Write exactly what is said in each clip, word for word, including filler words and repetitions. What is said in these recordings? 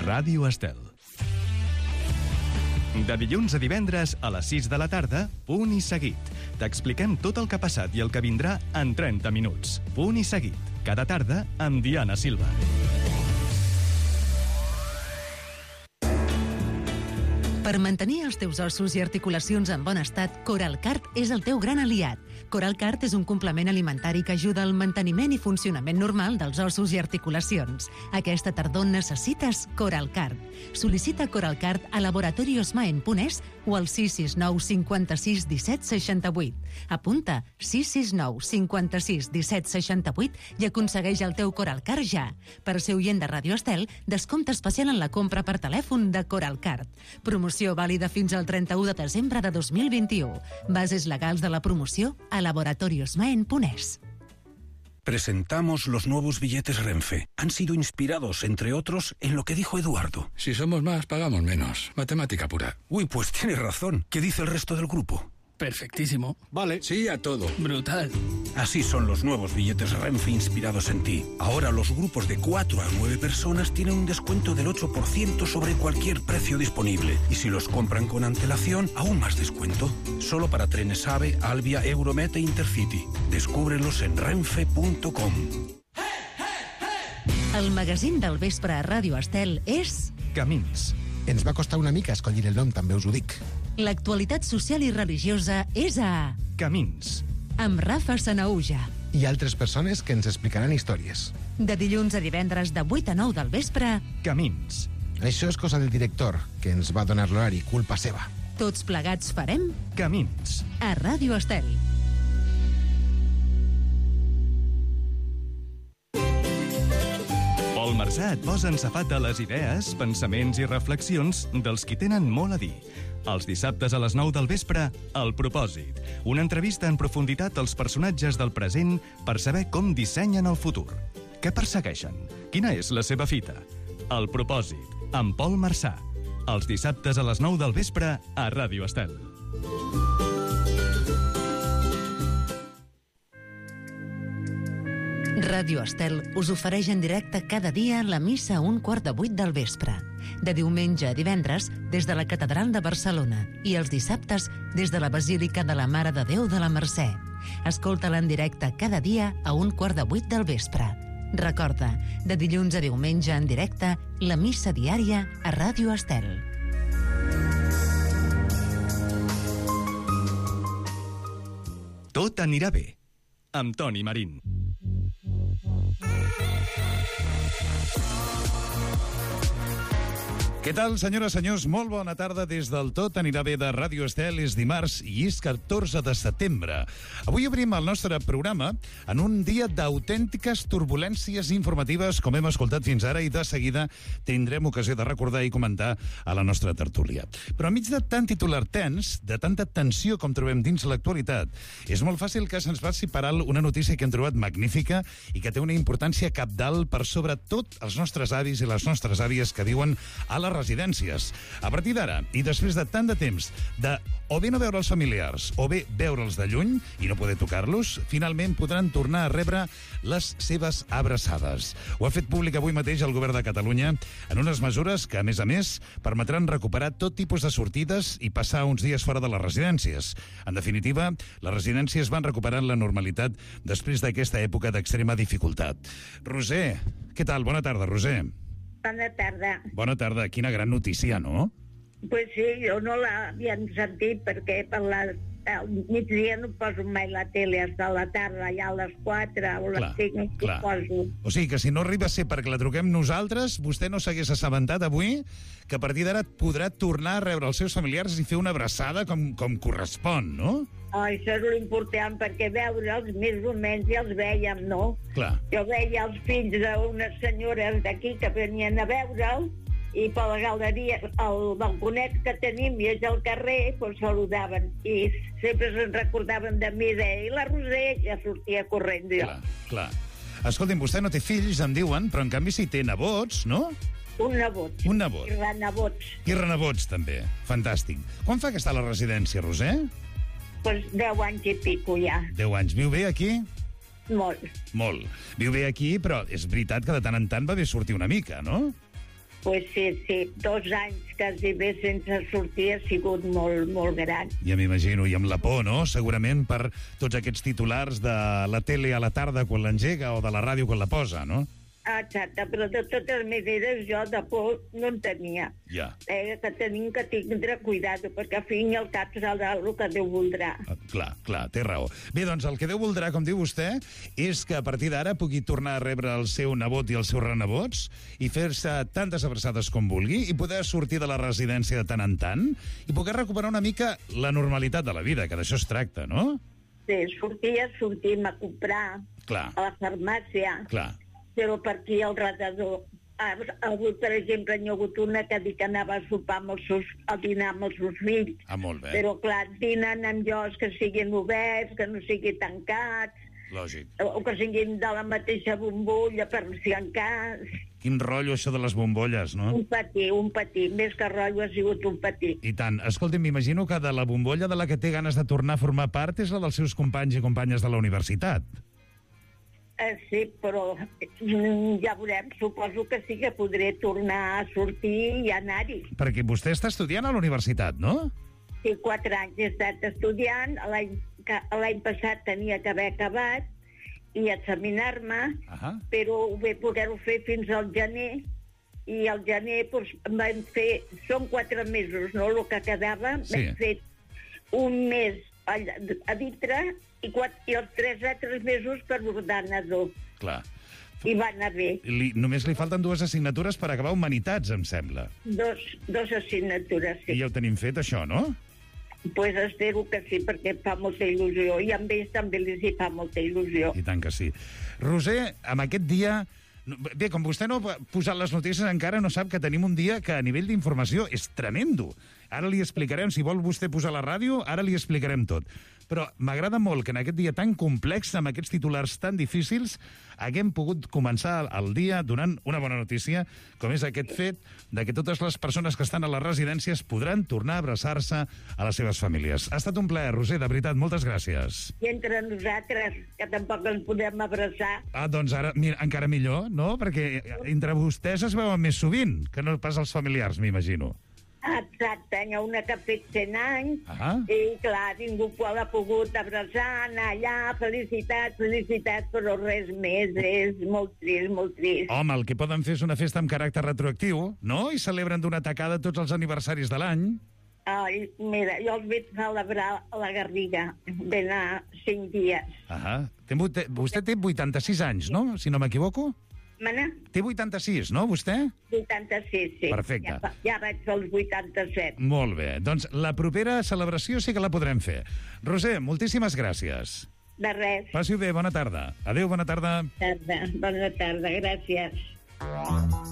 Ràdio Estel. De dilluns a divendres a les sis de la tarda, Punt i Seguit. T'expliquem tot el que ha passat i el que vindrà en trenta minuts. Punt i Seguit. Cada tarda amb Diana Silva. Per mantenir els teus ossos i articulacions en bon estat, Coralcart és el teu gran aliat. Coralcart és un complement alimentari que ajuda al manteniment i funcionament normal dels ossos i articulacions. Aquesta tardor necessites Coralcart. Sol·licita Coralcart a Laboratorios Maen punt es o al sis sis nou cinquanta-sis disset seixanta-vuit. Apunta sis sis nou cinquanta-sis disset seixanta-vuit i aconsegueix el teu Coralcart ja. Per ser oient de Ràdio Estel, descompte especial en la compra per telèfon de Coralcart. Promoció vàlida fins al trenta-u de desembre de dos mil vint-i-u. Bases legals de la promoció a Laboratorios Maen punt es. Presentamos los nuevos billetes Renfe. Han sido inspirados, entre otros, en lo que dijo Eduardo. Si somos más, pagamos menos. Matemática pura. Uy, pues tiene razón. ¿Qué dice el resto del grupo? Perfectísimo. Vale, sí a todo. Brutal. Así son los nuevos billetes Renfe inspirados en ti. Ahora los grupos de cuatro a nueve personas tienen un descuento del ocho por ciento sobre cualquier precio disponible. Y si los compran con antelación, aún más descuento. Solo para trenes AVE, Alvia, Euromet e Intercity. Descúbrelos en renfe punto com. El magazín del vespre a Ràdio Estel és... Camins. Ens va costar una mica escollir el nom, també us ho dic. L'actualitat social i religiosa és a... Camins. Amb Rafa Sanaúja. I altres persones que ens explicaran històries. De dilluns a divendres de vuit a nou del vespre... Camins. Això és cosa del director, que ens va donar l'horari, culpa seva. Tots plegats farem... Camins. A Ràdio Estel. Pol Marsà et posa en safat de les idees, pensaments i reflexions dels qui tenen molt a dir. Els dissabtes a les nou del vespre, El Propòsit. Una entrevista en profunditat als personatges del present per saber com dissenyen el futur. Què persegueixen? Quina és la seva fita? El Propòsit, amb Pol Marsà. Els dissabtes a les nou del vespre a Ràdio Estel. Ràdio Estel us ofereix en directe cada dia la missa a un quart de vuit del vespre. De diumenge a divendres, des de la Catedral de Barcelona, i els dissabtes, des de la Basílica de la Mare de Déu de la Mercè. Escolta-la en directe cada dia a un quart de vuit del vespre. Recorda, de dilluns a diumenge en directe, la missa diària a Ràdio Estel. Tot anirà bé, amb Toni Marín. Què tal, senyores i senyors? Molt bona tarda des del Tot anirà bé de Ràdio Estel. És dimarts i és catorze de setembre. Avui obrim el nostre programa en un dia d'autèntiques turbulències informatives, com hem escoltat fins ara, i de seguida tindrem ocasió de recordar i comentar a la nostra tertúlia. Però enmig de tant titular tens, de tanta tensió com trobem dins l'actualitat, és molt fàcil que se'ns passi per alt una notícia que hem trobat magnífica i que té una importància cabdal per sobre tot els nostres avis i les nostres àvies que viuen a la residències. A partir d'ara, i després de tant de temps de o bé no veure els familiars o bé veure'ls de lluny i no poder tocar-los, finalment podran tornar a rebre les seves abraçades. Ho ha fet públic avui mateix el Govern de Catalunya en unes mesures que, a més a més, permetran recuperar tot tipus de sortides i passar uns dies fora de les residències. En definitiva, les residències van recuperant la normalitat després d'aquesta època d'extrema dificultat. Roser, què tal? Bona tarda, Roser. Bona tarda. Bona tarda. Quina gran notícia, no? Pues sí, jo no l'havia sentit perquè per la, al migdia no poso mai la tele, hasta la tarda, ja a les quatre o les cinc ho poso. O sigui que si no arriba a ser perquè la truquem nosaltres, vostè no s'hagués assabentat avui que a partir d'ara podrà tornar a rebre els seus familiars i fer una abraçada com, com correspon, no? Oh, això és l'important, perquè veure'ls més o menys ja els vèiem, no? Clar. Jo veia els fills d'unes senyores d'aquí que venien a veure'ls i per la galeria, el balconet que tenim i és al carrer, doncs saludaven i sempre se'n recordaven de mi, de i la Roser, ja sortia corrent jo. Clar, clar. Escolti'm, vostè no té fills, em diuen, però en canvi sí té nebots, no? Un nebot. Un nebot. I renebots. I renebots, també. Fantàstic. Quan fa que està a la residència, Roser? Pues deu anys i pico, ja. Deu anys. Viu bé aquí? Molt. Molt. Viu bé aquí, però és veritat que de tant en tant va bé sortir una mica, no? Pues sí, sí, dos anys quasi bé sense sortir ha sigut molt, molt gran. Ja m'imagino, i amb la por, no? Segurament per tots aquests titulars de la tele a la tarda quan l'engega o de la ràdio quan la posa, no? Exacte, però de totes maneres jo de por no en tenia. Ja. Eh, que tenim que tindre cuidado, perquè al fin i al cap serà el que Déu voldrà. Ah, clar, clar, té raó. Bé, doncs el que Déu voldrà, com diu vostè, és que a partir d'ara pugui tornar a rebre el seu nebot i els seus renebots i fer-se tantes abraçades com vulgui i poder sortir de la residència de tant en tant i poder recuperar una mica la normalitat de la vida, que d'això es tracta, no? Sí, sortia, sortim a comprar Clar. a la farmàcia, Clar. però per aquí al redador. Ha hagut, per exemple, n'hi ha hagut una que dic que anava a sopar amb els seus, a dinar amb els seus fills. Ah, molt bé. Però, clar, dinen amb llocs que siguin oberts, que no siguin tancats, Lògic. o que siguin de la mateixa bombolla, per si en cas. Quin rotllo això de les bombolles, no? Un patí, un patí. Més que rotllo ha sigut un patí. I tant. Escolti, m'imagino que de la bombolla de la que té ganes de tornar a formar part és la dels seus companys i companyes de la universitat. Eh, sí, però mm, ja veurem. Suposo que sí que podré tornar a sortir i anar-hi. Perquè vostè està estudiant a la universitat, no? Sí, quatre anys he estat estudiant. L'any que- l'any passat tenia que haver acabat i examinar-me, Ahà. però ho vaig poder-ho fer fins al gener, i al gener doncs, vam fer... Són quatre mesos, no?, el que quedava. Sí. Vam fer un mes a, a dintre i, quatre, i els tres altres mesos per ordenador. Clar. I va anar bé. Li, només li falten dues assignatures per acabar Humanitats, em sembla. Dos, dos assignatures, I sí. ja ho tenim fet, això, no? Pues espero que sí, perquè em fa molta il·lusió. I amb ells també els hi fa molta il·lusió. I tant que sí. Roser, amb aquest dia... Bé, com vostè no ha posat les notícies encara, no sap que tenim un dia que a nivell d'informació és tremendo. Ara li explicarem, si vol vostè posar la ràdio, ara li explicarem tot. Però m'agrada molt que en aquest dia tan complex, amb aquests titulars tan difícils, haguem pogut començar el dia donant una bona notícia, com és aquest fet de que totes les persones que estan a les residències podran tornar a abraçar-se a les seves famílies. Ha estat un plaer, Roser, de veritat, moltes gràcies. I entre nosaltres, que tampoc ens podem abraçar. Ah, doncs ara, mira, encara millor, no? Perquè entre vostès es veuen més sovint, que no pas els familiars, m'imagino. Exacte, hi ha una que ha fet cent anys, Ah. i clar, ningú qual ha pogut abraçar, anar allà, felicitats, felicitats, però res més, és molt trist, molt trist. Home, el que poden fer és una festa amb caràcter retroactiu, no? I celebren d'una tacada tots els aniversaris de l'any. Ai, mira, jo els vaig celebrar a la Garriga, vam anar cinc dies. Ah, té, vuit- vostè té vuitanta-sis anys, no? Si no m'equivoco? Mana? Té vuitanta-sis, no, vostè? vuitanta-sis, sí. Perfecte. Ja, fa- ja vaig als vuitanta-set. Molt bé. Doncs la propera celebració sí que la podrem fer. Roser, moltíssimes gràcies. De res. Passi-ho bé, bona tarda. Adéu, bona tarda. Tarda. Bona tarda, gràcies.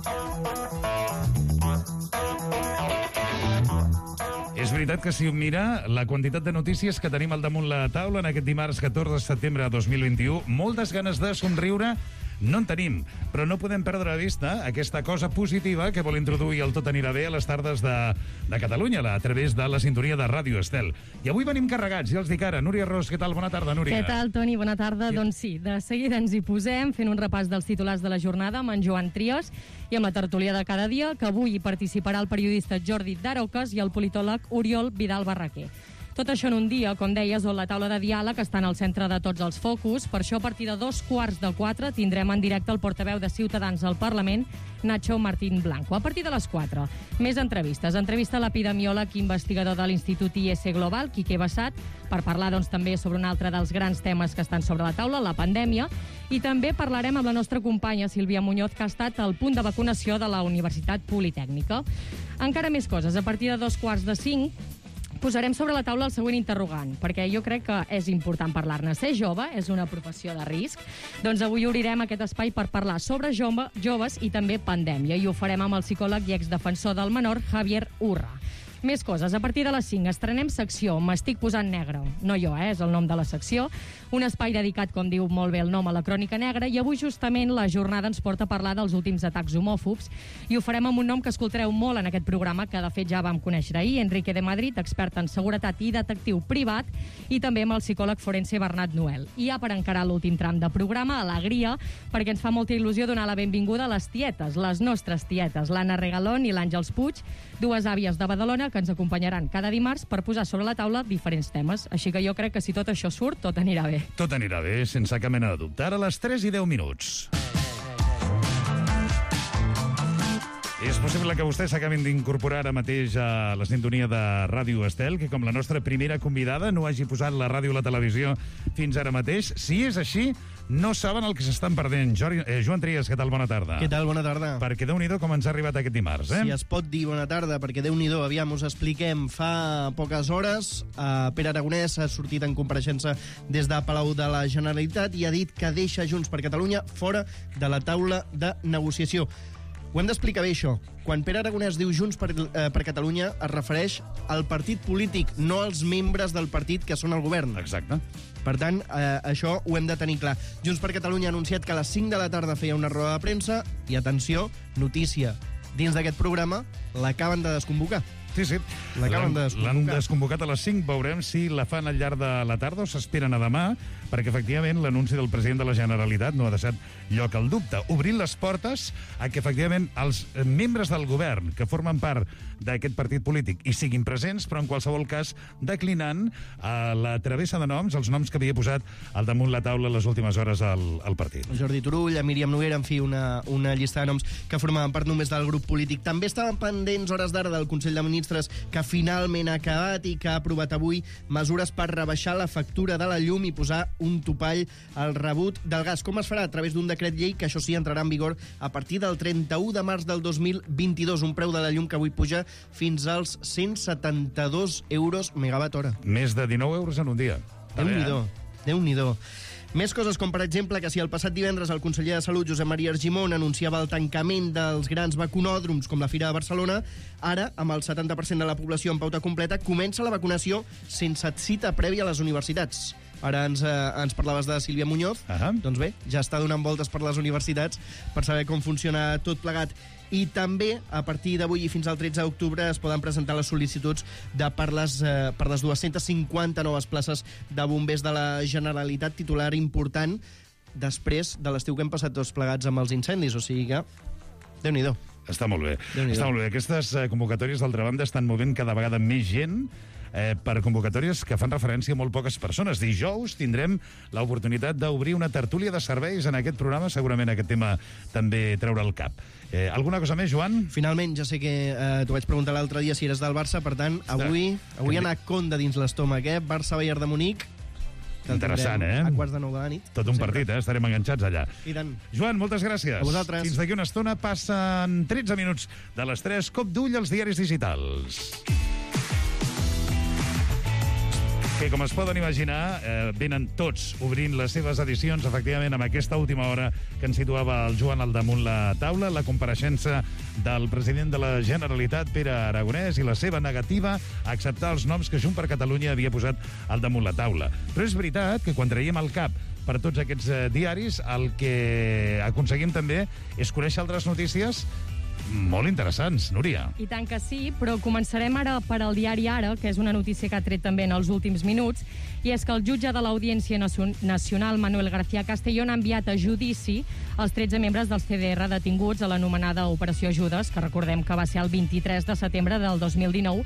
És veritat que si ho mira, la quantitat de notícies que tenim al damunt la taula en aquest dimarts catorze de setembre de dos mil vint-i-u, moltes ganes de somriure no en tenim, però no podem perdre de vista aquesta cosa positiva que vol introduir el Tot anirà bé a les tardes de, de Catalunya, a través de la sintonia de Ràdio Estel. I avui venim carregats, ja els dic ara. Núria Ros, què tal? Bona tarda, Núria. Què tal, Toni? Bona tarda. Sí. Doncs sí, de seguida ens hi posem, fent un repàs dels titulars de la jornada amb en Joan Trias i amb la tertúlia de cada dia, que avui hi participarà el periodista Jordi Daroques i el politòleg Oriol Vidal Barraquer. Tot això en un dia, com deies, on la taula de diàleg està en el centre de tots els focus. Per això, a partir de dos quarts de quatre, tindrem en directe el portaveu de Ciutadans al Parlament, Nacho Martín Blanco. A partir de les quatre, més entrevistes. Entrevista a l'epidemiòleg i investigador de l'Institut I S Global, Quique Bassat, per parlar doncs, també sobre un altre dels grans temes que estan sobre la taula, la pandèmia. I també parlarem amb la nostra companya, Sílvia Muñoz, que ha estat al punt de vacunació de la Universitat Politècnica. Encara més coses. A partir de dos quarts de cinc, posarem sobre la taula el següent interrogant, perquè jo crec que és important parlar-ne. Ser jove és una professió de risc? Doncs avui obrirem aquest espai per parlar sobre jove, joves i també pandèmia, i ho farem amb el psicòleg i exdefensor del menor, Javier Urra. Més coses. A partir de les cinc estrenem secció M'estic posant negre. No jo, eh? És el nom de la secció. Un espai dedicat, com diu molt bé el nom, a la crònica negra, i avui justament la jornada ens porta a parlar dels últims atacs homòfobs, i ho farem amb un nom que escoltareu molt en aquest programa, que de fet ja vam conèixer ahir, Enrique de Madrid, expert en seguretat i detectiu privat, i també amb el psicòleg forense Bernat Noel. I ja per encarar l'últim tram de programa, alegria, perquè ens fa molta il·lusió donar la benvinguda a les tietes, les nostres tietes, l'Anna Regalón i l'Àngels Puig, dues àvies de Badalona que ens acompanyaran cada dimarts per posar sobre la taula diferents temes. Així que jo crec que si tot això surt, tot anirà bé. Tot anirà bé, sense cap mena de dubte. Ara a les tres i deu minuts. És possible que vostès s'acabin d'incorporar ara mateix a la sintonia de Ràdio Estel, que com la nostra primera convidada no hagi posat la ràdio o la televisió fins ara mateix. Si és així, no saben el que s'estan perdent. Jordi, eh, Joan Trias, què tal? Bona tarda. Què tal? Bona tarda. Perquè Déu-n'hi-do com ens ha arribat aquest dimarts, eh? Si es pot dir bona tarda, perquè Déu-n'hi-do, aviam, us expliquem. Fa poques hores, eh, Pere Aragonès ha sortit en compareixença des de Palau de la Generalitat i ha dit que deixa Junts per Catalunya fora de la taula de negociació. Ho hem d'explicar bé, això. Quan Pere Aragonès diu Junts per, eh, per Catalunya, es refereix al partit polític, no als membres del partit que són al govern. Exacte. Per tant, eh, això ho hem de tenir clar. Junts per Catalunya ha anunciat que a les cinc de la tarda feia una roda de premsa i, atenció, notícia, dins d'aquest programa l'acaben de desconvocar. Sí, sí. L'acaben de desconvocar. L'han desconvocat a les cinc. Veurem si la fan al llarg de la tarda o s'esperen a demà, perquè, efectivament, l'anunci del president de la Generalitat no ha deixat lloc al dubte, obrint les portes a que, efectivament, els membres del govern que formen part d'aquest partit polític hi siguin presents, però, en qualsevol cas, declinant a la travessa de noms, els noms que havia posat al damunt la taula les últimes hores al, al partit. Jordi Turull, a Míriam Noguera, en fi, una, una llista de noms que formaven part només del grup polític. També estaven pendents, hores d'ara, del Consell de Ministres, que finalment ha acabat i que ha aprovat avui mesures per rebaixar la factura de la llum i posar un topall al rebut del gas. Com es farà? A través d'un decret llei que, això sí, entrarà en vigor a partir del trenta-u de març del dos mil vint-i-dos. Un preu de la llum que avui puja fins als cent setanta-dos euros megawatt hora. Més de dinou euros en un dia. Déu-n'hi-do, Déu-n'hi-do. Més coses, com per exemple que si el passat divendres el conseller de Salut, Josep Maria Argimon, anunciava el tancament dels grans vacunòdroms com la Fira de Barcelona, ara, amb el setanta per cent de la població en pauta completa, comença la vacunació sense cita prèvia a les universitats. Ara ens, eh, ens parlaves de Sílvia Muñoz. Uh-huh. Doncs bé, ja està donant voltes per les universitats per saber com funciona tot plegat. I també, a partir d'avui i fins al tretze d'octubre, es poden presentar les sol·licituds de per, les, eh, per les dues-centes cinquanta noves places de bombers de la Generalitat, titular important després de l'estiu que hem passat tots plegats amb els incendis. O sigui que, Déu-n'hi-do. Està molt bé. Està molt bé. Aquestes eh, convocatòries, d'altra banda, estan movent cada vegada més gent eh, per convocatòries que fan referència a molt poques persones. Dijous tindrem l'oportunitat d'obrir una tertúlia de serveis en aquest programa. Segurament aquest tema també treure el cap. Eh, alguna cosa més, Joan? Finalment, ja sé que eh, t'ho vaig preguntar l'altre dia si eres del Barça, per tant, avui, avui ha anat Conde dins l'estómac, eh? Barça-Bayern de Munic. Interessant, eh? A quarts de nou de la nit. Tot un partit, eh? Estarem enganxats allà. I tant. Joan, moltes gràcies. A vosaltres. Fins d'aquí una estona passen tretze minuts de les tres. Cop d'ull als diaris digitals. Que, com es poden imaginar, eh, venen tots obrint les seves edicions, efectivament, amb aquesta última hora que ens situava el Joan al damunt la taula, la compareixença del president de la Generalitat, Pere Aragonès, i la seva negativa a acceptar els noms que Junts per Catalunya havia posat al damunt la taula. Però és veritat que quan traiem el cap per tots aquests eh, diaris, el que aconseguim també és conèixer altres notícies molt interessants, Núria. I tant que sí, però començarem ara per al diari Ara, que és una notícia que ha tret també en els últims minuts, i és que el jutge de l'Audiència Nacional, Manuel García Castellón, ha enviat a judici els tretze membres del C D R detinguts a l'anomenada Operació Judes, que recordem que va ser el vint-i-tres de setembre del dos mil dinou,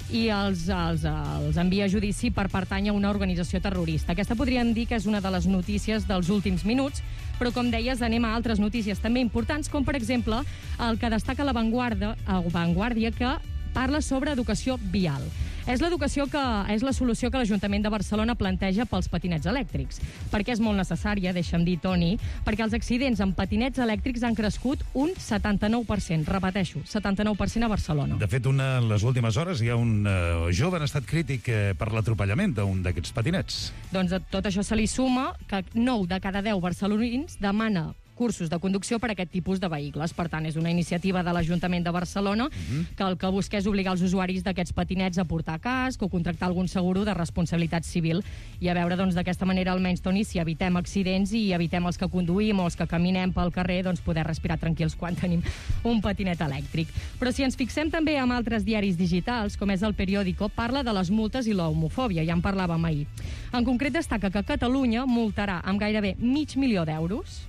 i els, els, els envia a judici per pertànyer a una organització terrorista. Aquesta podríem dir que és una de les notícies dels últims minuts, però, com deies, anem a altres notícies també importants, com, per exemple, el que destaca la Vanguardia, Vanguardia que parla sobre educació vial. És l'educació que és la solució que l'Ajuntament de Barcelona planteja pels patinets elèctrics. Perquè és molt necessària, deixa'm dir, Toni, perquè els accidents amb patinets elèctrics han crescut un setanta-nou per cent. Repeteixo, setanta-nou per cent a Barcelona. De fet, una, en les últimes hores hi ha un uh, jove en estat crític eh, per l'atropellament d'un d'aquests patinets. Doncs a tot això se li suma que nou de cada deu barcelonins demana cursos de conducció per a aquest tipus de vehicles. Per tant, és una iniciativa de l'Ajuntament de Barcelona uh-huh. que el que busca és obligar els usuaris d'aquests patinets a portar casc o contractar algun seguro de responsabilitat civil i a veure, doncs, d'aquesta manera almenys, Toni, si evitem accidents i evitem els que conduïm o els que caminem pel carrer, doncs poder respirar tranquils quan tenim un patinet elèctric. Però si ens fixem també en altres diaris digitals, com és el Periódico, parla de les multes i l'homofòbia, ja en parlàvem ahir. En concret destaca que Catalunya multarà amb gairebé mig milió d'euros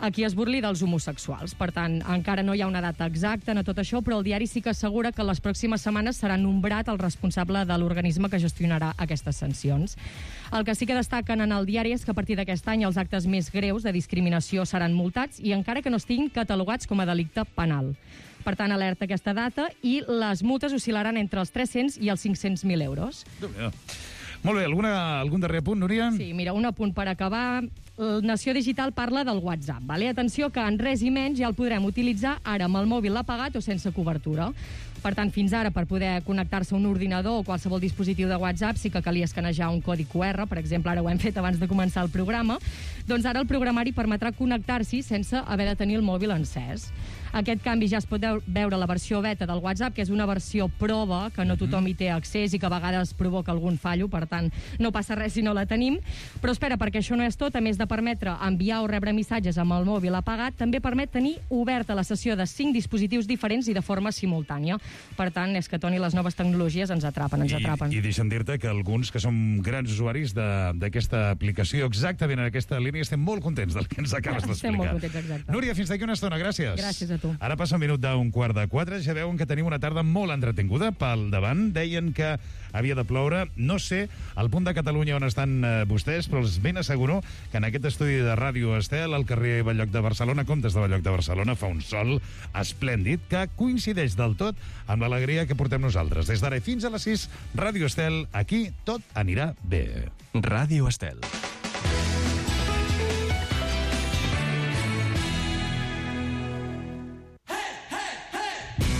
a qui es burli dels homosexuals. Per tant, encara no hi ha una data exacta en tot això, però el diari sí que assegura que les pròximes setmanes serà nombrat el responsable de l'organisme que gestionarà aquestes sancions. El que sí que destaquen en el diari és que a partir d'aquest any els actes més greus de discriminació seran multats i encara que no estiguin catalogats com a delicte penal. Per tant, alerta aquesta data i les multes oscil·laran entre els tres-cents i els cinc-cents mil euros. Molt bé, alguna, algun darrer apunt, Núria? Sí, mira, un apunt per acabar. Nació Digital parla del WhatsApp. Vale? Atenció que en res i menys ja el podrem utilitzar ara amb el mòbil apagat o sense cobertura. Per tant, fins ara, per poder connectar-se a un ordinador o qualsevol dispositiu de WhatsApp sí que calia escanejar un codi cu erre, per exemple, ara ho hem fet abans de començar el programa, doncs ara el programari permetrà connectar-s'hi sense haver de tenir el mòbil encès. Aquest canvi ja es pot veure a la versió beta del WhatsApp, que és una versió prova, que no tothom hi té accés i que a vegades provoca algun fallo, per tant, no passa res si no la tenim. Però espera, perquè això no és tot, a més de permetre enviar o rebre missatges amb el mòbil apagat, també permet tenir oberta la sessió de cinc dispositius diferents i de forma simultània. Per tant, és que, Toni, les noves tecnologies ens atrapen, ens atrapen. I, i deixa'm dir-te que alguns que som grans usuaris d'aquesta aplicació, exactament en aquesta línia, estem molt contents del que ens acabes d'explicar. Estem molt contents, exacte. Núria, fins d'aquí una estona, gràcies. Gràcies a tu. Ara passa un minut d'un quart de quatre, ja veuen que tenim una tarda molt entretinguda pel davant. Deien que havia de ploure. No sé al punt de Catalunya on estan eh, vostès, però els ben asseguro que en aquest estudi de Ràdio Estel, al carrer Belloc de Barcelona, Comtes de Belloc de Barcelona, fa un sol esplèndid que coincideix del tot amb l'alegria que portem nosaltres. Des d'ara fins a les sis, Ràdio Estel, aquí tot anirà bé. Ràdio Estel.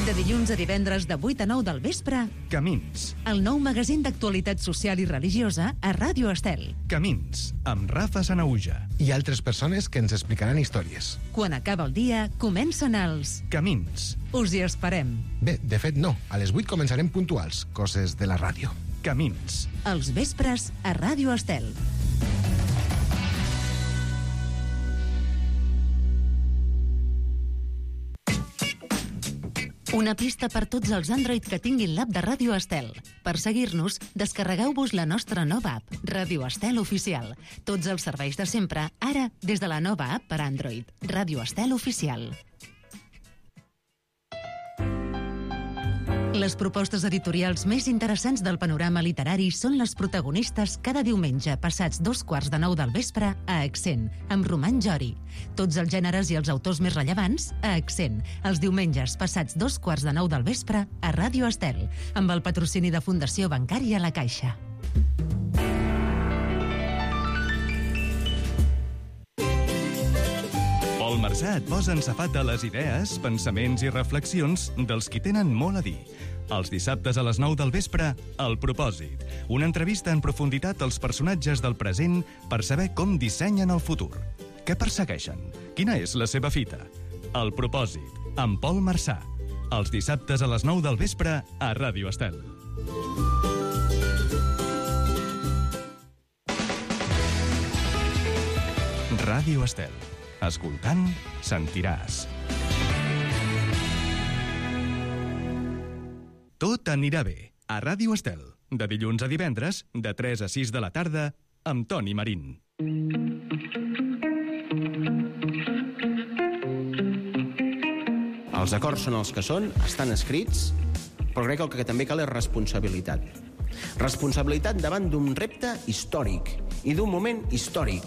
De dilluns a divendres de vuit a nou del vespre, Camins. el nou magazín d'actualitat social i religiosa a Ràdio Estel. Camins, amb Rafa Sanauja. I altres persones que ens explicaran històries. Quan acaba el dia, comencen els... Camins. Us hi esperem. Bé, de fet no. A les vuit començarem puntuals, coses de la ràdio. Camins. Els vespres a Ràdio Estel. Una pista per tots els Android que tinguin l'app de Ràdio Estel. Per seguir-nos, descarregueu-vos la nostra nova app, Ràdio Estel Oficial. Tots els serveis de sempre, ara des de la nova app per Android, Ràdio Estel Oficial. Les propostes editorials més interessants del panorama literari són les protagonistes cada diumenge passats dos quarts de nou del vespre a Accent, amb Roman Jori. Tots els gèneres i els autors més rellevants a Accent, els diumenges passats dos quarts de nou del vespre a Ràdio Estel, amb el patrocini de Fundació Bancària La Caixa. Pol Marsà et posa en safat a les idees, pensaments i reflexions dels qui tenen molt a dir. Els dissabtes a les nou del vespre, El Propòsit. Una entrevista en profunditat als personatges del present per saber com dissenyen el futur. Què persegueixen? Quina és la seva fita? El Propòsit, amb Pol Marsà. Els dissabtes a les nou del vespre a Ràdio Estel. Ràdio Estel. Escoltant, sentiràs. Tot anirà bé. A Ràdio Estel. De dilluns a divendres, de tres a sis de la tarda, amb Toni Marín. Els acords són els que són, estan escrits, però crec que el que també cal és responsabilitat. Responsabilitat davant d'un repte històric i d'un moment històric.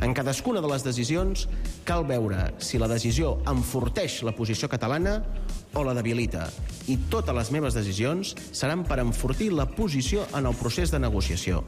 En cadascuna de les decisions cal veure si la decisió enforteix la posició catalana o la debilita. I totes les meves decisions seran per enfortir la posició en el procés de negociació.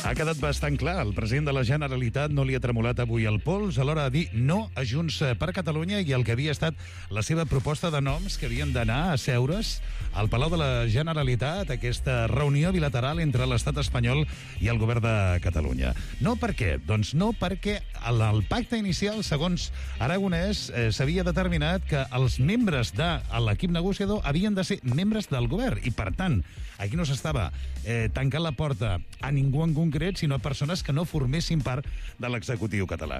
Aquest quedat bastant clar. El president de la Generalitat no li ha tremolat avui el pols a l'hora de dir no a Junts per Catalunya i el que havia estat la seva proposta de noms que havien d'anar a seure's al Palau de la Generalitat, aquesta reunió bilateral entre l'estat espanyol i el govern de Catalunya. No per què? Doncs no perquè el, el pacte inicial, segons Aragonès, eh, s'havia determinat que els membres de l'equip negociador havien de ser membres del govern i, per tant, aquí no s'estava eh, tancant la porta a ningú en concret, sinó a persones que no formessin part de l'executiu català.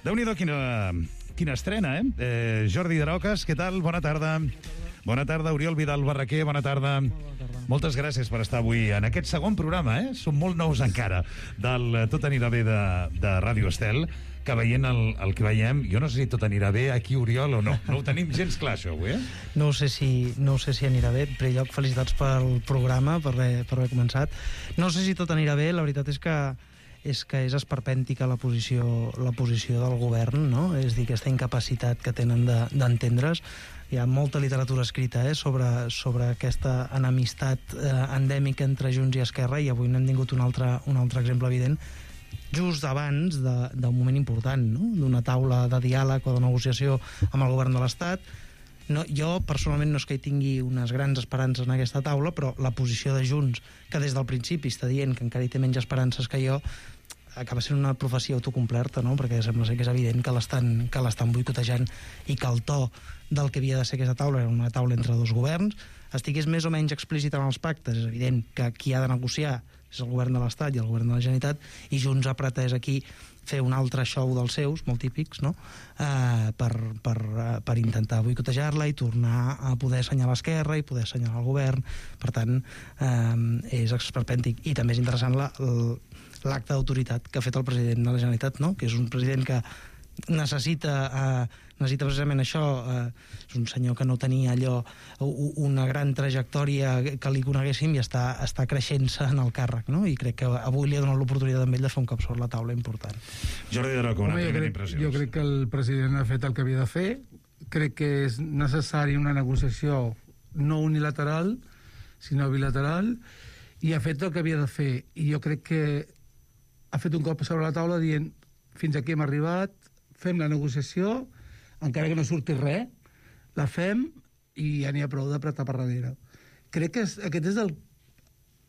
Déu-n'hi-do quina, quina estrena, eh? eh? Jordi Darocas, què tal? Bona tarda. Bona tarda, Oriol Vidal Barraquer, bona tarda. Bona tarda. Moltes gràcies per estar avui en aquest segon programa, eh? Som molt nous encara, del Tot anirà bé de, de Ràdio Estel, que veient el, el que veiem, jo no sé si tot anirà bé aquí, Oriol, o no. No ho tenim gens clar, això, avui, eh? No ho sé si, no ho sé si anirà bé. En primer lloc, felicitats pel programa, per haver, per haver començat. No sé si tot anirà bé, la veritat és que és que és esperpèntica la posició, la posició del govern, no? És a dir, aquesta incapacitat que tenen de, d'entendre's. Hi ha molta literatura escrita eh, sobre, sobre aquesta enemistat eh, endèmica entre Junts i Esquerra, i avui n'hem tingut un altre, un altre exemple evident just abans d'un moment important, no? D'una taula de diàleg o de negociació amb el govern de l'Estat. No, jo, personalment, no és que hi tingui unes grans esperances en aquesta taula, però la posició de Junts, que des del principi està dient que encara hi té menys esperances que jo, acaba sent una profecia autocomplerta, no? Perquè sembla ser que és evident que l'estan que l'estan boicotejant i que el to del que havia de ser aquesta taula era una taula entre dos governs, estigués més o menys explícit en els pactes. És evident que qui ha de negociar és el govern de l'Estat i el govern de la Generalitat, i Junts ha pretès aquí fer un altre show dels seus, molt típics, no? eh, per, per, per intentar boicotejar-la i tornar a poder assenyalar l'esquerra i poder assenyalar el govern. Per tant, eh, és esperpèntic. I també és interessant la, l'acte d'autoritat que ha fet el president de la Generalitat, no? Que és un president que necessita eh, necessita precisament això, eh, és un senyor que no tenia allò, una gran trajectòria que li coneguéssim, i està, està creixent-se en el càrrec, no? I crec que avui li ha donat l'oportunitat a ell de fer un cop sobre la taula important. Jordi Daroca, una Home, primera crec, impressió. Jo crec que el president ha fet el que havia de fer. Crec que és necessari una negociació no unilateral, sinó bilateral, i ha fet el que havia de fer. I jo crec que ha fet un cop sobre la taula dient fins aquí hem arribat, fem la negociació, encara que no surti res, la fem i ja n'hi ha prou d'apretar per darrere. Crec que és, aquest és el,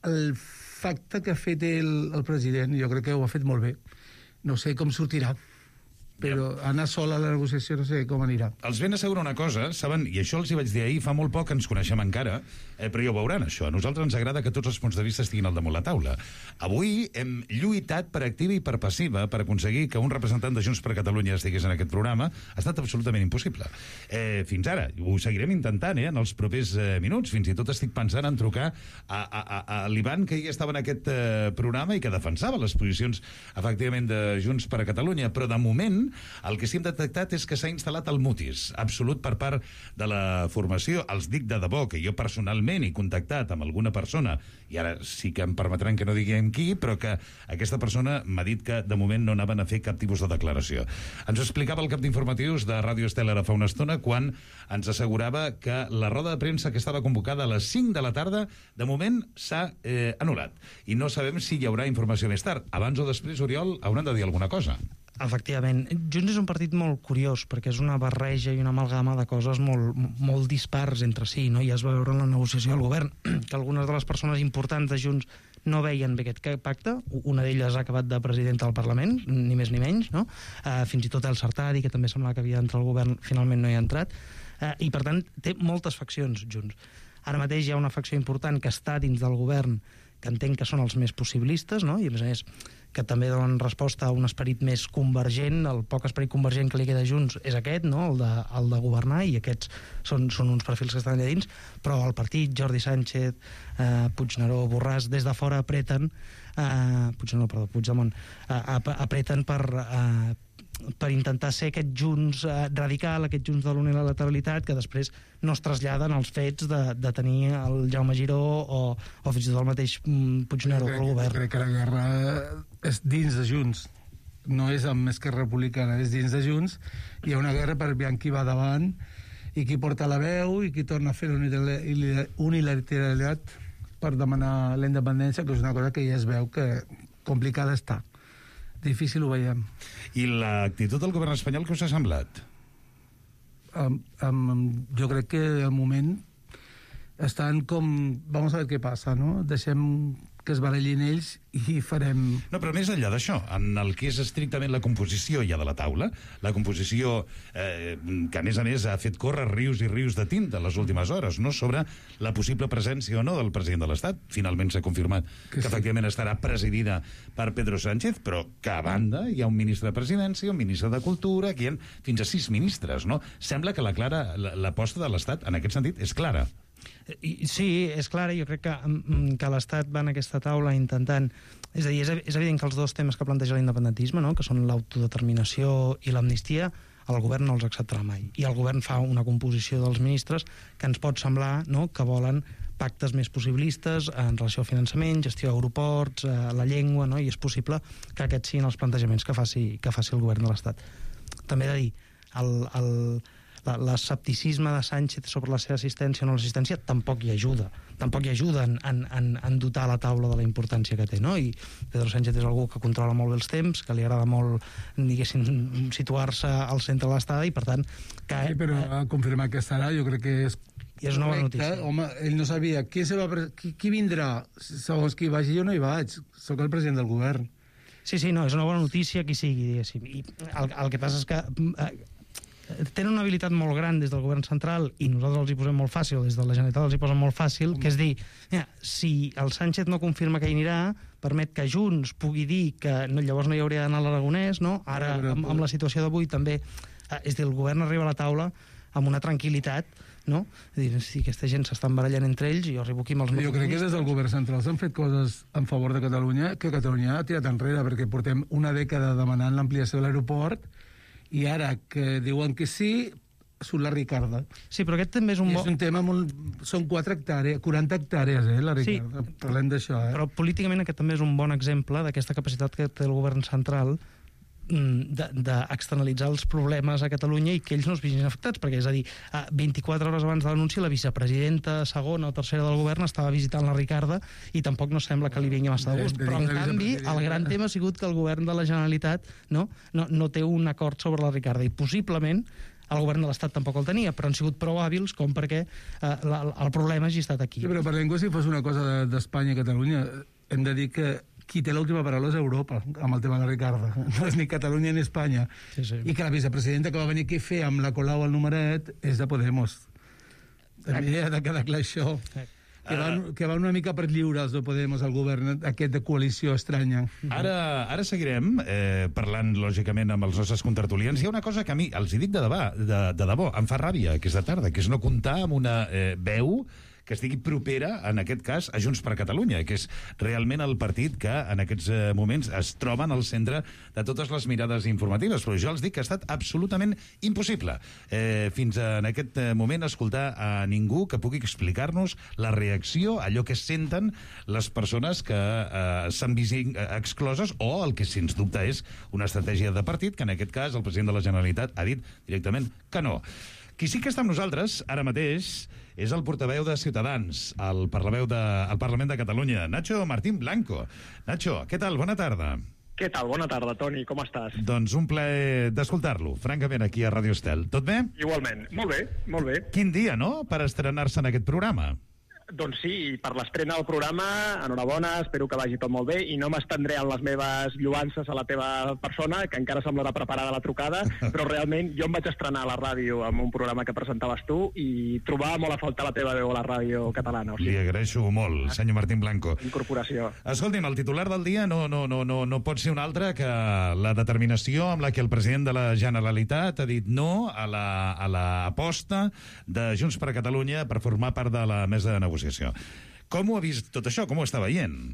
el facte que ha fet el, el president. Jo crec que ho ha fet molt bé. No sé com sortirà, però anar sol a la negociació no sé com anirà. Els ben assegurar una cosa, saben, i això els hi vaig dir ahir, fa molt poc que ens coneixem encara, eh, però ja ho veuran, això. A nosaltres ens agrada que tots els punts de vista estiguin al damunt la taula. Avui hem lluitat per activa i per passiva per aconseguir que un representant de Junts per Catalunya estigués en aquest programa. Ha estat absolutament impossible. Eh, fins ara, ho seguirem intentant, eh, en els propers eh, minuts. Fins i tot estic pensant en trucar a, a, a, a l'Ivan, que ja estava en aquest eh, programa i que defensava les posicions, efectivament, de Junts per Catalunya, però de moment el que sí hem detectat és que s'ha instal·lat el mutis absolut per part de la formació. Els dic de debò que jo personalment he contactat amb alguna persona, i ara sí que em permetran que no diguem qui, però que aquesta persona m'ha dit que de moment no anaven a fer cap tipus de declaració. Ens ho explicava el cap d'informatius de Ràdio Estel ara fa una estona, quan ens assegurava que la roda de premsa que estava convocada a les cinc de la tarda de moment s'ha eh, anul·lat, i no sabem si hi haurà informació més tard. Abans o després, Oriol, hauran de dir alguna cosa. Efectivament. Junts és un partit molt curiós, perquè és una barreja i una amalgama de coses molt, molt dispars entre si, no? Ja es va veure en la negociació del govern que algunes de les persones importants de Junts no veien bé aquest pacte. Una d'elles ha acabat de presidenta del Parlament, ni més ni menys, no? Uh, fins i tot el Sartadi, que també semblava que havia d'entrar al govern, finalment no hi ha entrat. Uh, I, per tant, té moltes faccions, Junts. Ara mateix hi ha una facció important que està dins del govern, que entenc que són els més possibilistes, no? I, a més a més, que també donen resposta a un esperit més convergent. El poc esperit convergent que li queda a Junts és aquest, no? el, de, el de governar, i aquests són, són uns perfils que estan allà dins, però el partit, Jordi Sánchez, eh, Puigneró, Borràs, des de fora apreten, eh, Puigneró, perdó, Puigdemont, eh, apreten per... Eh, per intentar ser aquest Junts eh, radical, aquest Junts de l'unilateralitat, que després no es traslladen als fets de, de tenir el Jaume Giró o, o fins i tot el mateix mm, Puigneró al govern. Jo crec que la guerra és dins de Junts, no és amb Esquerra Republicana, és dins de Junts. Hi ha una guerra per veure qui va davant i qui porta la veu i qui torna a fer unilateralitat per demanar la independència, que és una cosa que ja es veu que complicada està. Difícil ho veiem. I l'actitud del govern espanyol què us ha semblat? Um, um, jo crec que al moment estan com... Vamos a ver què passa, no? Deixem que es barallin ells i farem... No, però més enllà d'això, en el que és estrictament la composició ja de la taula, la composició eh, que a més a més ha fet córrer rius i rius de tinta les últimes hores, no?, sobre la possible presència o no del president de l'Estat. Finalment s'ha confirmat que, que sí, efectivament estarà presidida per Pedro Sánchez, però que a banda hi ha un ministre de Presidència, un ministre de Cultura, aquí hi ha fins a sis ministres, no? Sembla que la clara, l'aposta de l'Estat en aquest sentit és clara. I, sí, és clar, jo crec que, que l'Estat va en aquesta taula intentant... És a dir, és, és evident que els dos temes que planteja l'independentisme, no?, que són l'autodeterminació i l'amnistia, el govern no els acceptarà mai. I el govern fa una composició dels ministres que ens pot semblar, no?, que volen pactes més possibilistes en relació al finançament, gestió d'aeroports, eh, la llengua, no?, i és possible que aquests siguin els plantejaments que faci, que faci el govern de l'Estat. També he de dir, el... el l'escepticisme de Sánchez sobre la seva assistència o no l'assistència tampoc hi ajuda. Tampoc hi ajuda en, en, en dotar la taula de la importància que té, no? I Pedro Sánchez és algú que controla molt bé els temps, que li agrada molt, diguéssim, situar-se al centre de l'estada i, per tant... Que, sí, però a confirmar que estarà, jo crec que és... I és una bona notícia. Home, ell no sabia qui, se va, qui, qui vindrà. Segons qui vagi, jo no hi vaig. Soc el president del govern. Sí, sí, no, és una bona notícia qui sigui, diguéssim. I el, el que passa és que... Eh, tenen una habilitat molt gran des del govern central i nosaltres els hi posem molt fàcil, des de la Generalitat els hi posen molt fàcil, que és dir, mira, si el Sánchez no confirma que hi anirà, permet que Junts pugui dir que no, llavors no hi hauria d'anar a l'Aragonès, no? Ara, amb, amb la situació d'avui, també, eh, és dir, el govern arriba a la taula amb una tranquil·litat, no? És dir, si aquesta gent s'estan barallant entre ells, jo arribo aquí amb els... Jo crec que des del govern central s'han fet coses en favor de Catalunya que Catalunya ha tirat enrere, perquè portem una dècada demanant l'ampliació de l'aeroport i ara que diuen que sí, surt la Ricarda. Sí, però aquest també és un... I és un tema molt... Són quatre hectàrees, quaranta hectàrees, eh, la Ricarda. Sí, parlem d'això, eh? Però políticament aquest també és un bon exemple d'aquesta capacitat que té el govern central d'externalitzar els problemes a Catalunya i que ells no es vegin afectats, perquè, és a dir, vint-i-quatre hores abans de l'anunci la vicepresidenta segona o tercera del govern estava visitant la Ricarda i tampoc no sembla que li vingui massa de gust, però en canvi el gran tema ha sigut que el govern de la Generalitat no, no, no té un acord sobre la Ricarda i possiblement el govern de l'Estat tampoc el tenia, però han sigut prou hàbils com perquè eh, la, el problema hagi estat aquí. Sí, però parlem com si fos una cosa d'Espanya i Catalunya. Hem de dir que qui té l'última paraula és Europa, amb el tema de la Ricarda. No és ni Catalunya ni Espanya. Sí, sí. I que la vicepresidenta que va venir aquí a fer amb la Colau al numeret és de Podemos. També ha de quedar clar això. Que van, que va una mica per lliure els de Podemos al govern aquest de coalició estranya. Ara, ara seguirem eh, parlant, lògicament, amb els nostres contertulians. Hi ha una cosa que a mi, els hi dic de debò, de, de debò, em fa ràbia aquesta tarda, que és no comptar amb una eh, veu que estigui propera, en aquest cas, a Junts per Catalunya, que és realment el partit que en aquests moments es troba en el centre de totes les mirades informatives. Però jo els dic que ha estat absolutament impossible eh, fins en aquest moment escoltar a ningú que pugui explicar-nos la reacció, allò que senten les persones que eh, s'han vist excloses o el que, sens dubte, és una estratègia de partit, que en aquest cas el president de la Generalitat ha dit directament que no. Qui sí que està amb nosaltres, ara mateix, és el portaveu de Ciutadans al Parlament de, al Parlament de Catalunya, Nacho Martín Blanco. Nacho, què tal? Bona tarda. Què tal? Bona tarda, Toni. Com estàs? Doncs un plaer d'escoltar-lo, francament, aquí a Radio Estel. Tot bé? Igualment. Molt bé, molt bé. Quin dia, no?, per estrenar-se en aquest programa. Doncs sí, per l'estrena del programa, enhorabona, espero que vagi tot molt bé i no m'estendré en les meves lluances a la teva persona, que encara semblarà preparada la trucada, però realment jo em vaig estrenar a la ràdio amb un programa que presentaves tu i trobava molt a faltar la teva veu a la ràdio catalana. O sigui, li agraeixo molt, senyor Martín Blanco. Incorporació. Escolti'm, el titular del dia no, no, no, no, no pot ser un altre que la determinació amb la que el president de la Generalitat ha dit no a la, a la aposta de Junts per Catalunya per formar part de la mesa de negociació. Com ho ha vist tot això? Com ho està veient?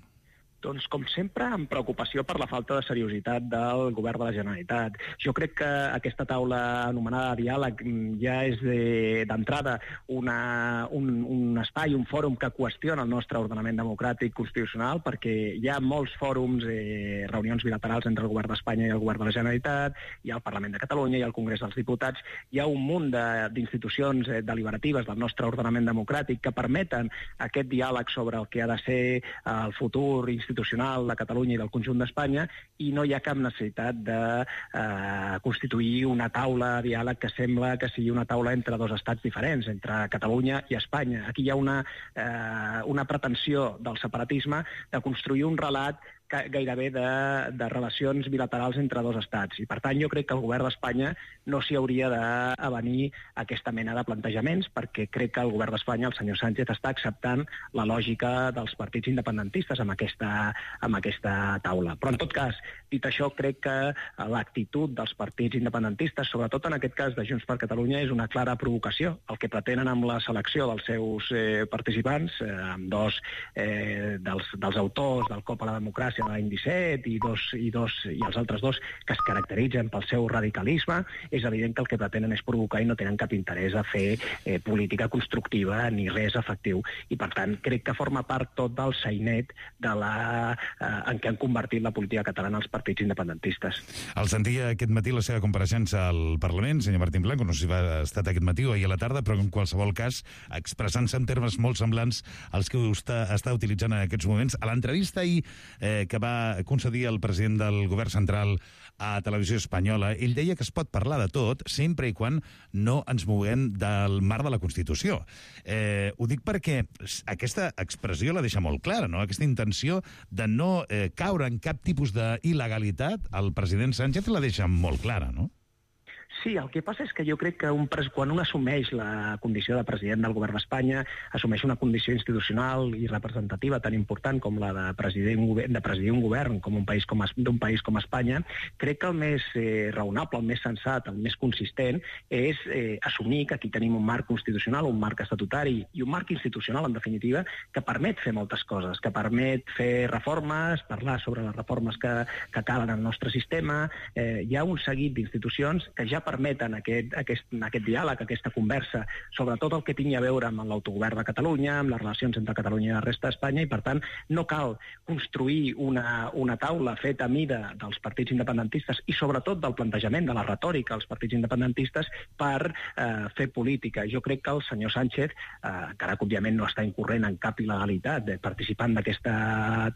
Doncs, com sempre, amb preocupació per la falta de seriositat del govern de la Generalitat. Jo crec que aquesta taula anomenada diàleg ja és d'entrada un, un espai, un fòrum que qüestiona el nostre ordenament democràtic constitucional, perquè hi ha molts fòrums, eh, reunions bilaterals entre el govern d'Espanya i el govern de la Generalitat, hi ha el Parlament de Catalunya, hi ha el Congrés dels Diputats, hi ha un munt d'institucions eh, deliberatives del nostre ordenament democràtic que permeten aquest diàleg sobre el que ha de ser el futur institucional institucional de Catalunya i del conjunt d'Espanya, i no hi ha cap necessitat de eh, constituir una taula de diàleg que sembla que sigui una taula entre dos estats diferents, entre Catalunya i Espanya. Aquí hi ha una, eh, una pretensió del separatisme de construir un relat gairebé de, de relacions bilaterals entre dos estats. I, per tant, jo crec que el govern d'Espanya no s'hi hauria d'avenir aquesta mena de plantejaments, perquè crec que el govern d'Espanya, el senyor Sánchez, està acceptant la lògica dels partits independentistes amb aquesta, amb aquesta taula. Però, en tot cas, dit això, crec que l'actitud dels partits independentistes, sobretot en aquest cas de Junts per Catalunya, és una clara provocació. El que pretenen amb la selecció dels seus eh, participants, eh, amb dos eh, dels, dels autors del Cop a la Democràcia de l'any disset i, dos, i, dos, i els altres dos que es caracteritzen pel seu radicalisme, és evident que el que pretenen és provocar i no tenen cap interès a fer eh, política constructiva ni res efectiu. I, per tant, crec que forma part tot del sainet de la, eh, en què han convertit la política catalana els partits independentistes. El sentia aquest matí la seva compareixença al Parlament, senyor Martín Blanco, no sé si va estar aquest matí o ahir a la tarda, però en qualsevol cas, expressant-se en termes molt semblants als que està, està utilitzant en aquests moments. A l'entrevista ahir eh, que va concedir el president del govern central a Televisió Espanyola, ell deia que es pot parlar de tot sempre i quan no ens moguem del marc de la Constitució. Eh, ho dic perquè aquesta expressió la deixa molt clara, no? Aquesta intenció de no eh, caure en cap tipus d'il·legalitat, el president Sánchez la deixa molt clara, no? Sí, el que passa és que jo crec que un pres... quan un assumeix la condició de president del govern d'Espanya, assumeix una condició institucional i representativa tan important com la de presidir un govern, de presidir un govern com un país com es... d'un país com Espanya, crec que el més eh, raonable, el més sensat, el més consistent és eh, assumir que aquí tenim un marc constitucional, un marc estatutari i un marc institucional, en definitiva, que permet fer moltes coses, que permet fer reformes, parlar sobre les reformes que, que calen al nostre sistema. Eh, hi ha un seguit d'institucions que ja permeten aquest, aquest, aquest diàleg, aquesta conversa, sobre tot el que tingui a veure amb l'autogovern de Catalunya, amb les relacions entre Catalunya i la resta d'Espanya, i per tant no cal construir una, una taula feta a mida dels partits independentistes i sobretot del plantejament de la retòrica dels partits independentistes per eh, fer política. Jo crec que el senyor Sánchez, eh, encara que òbviament no està incorrent en cap il·legalitat, eh, participant d'aquesta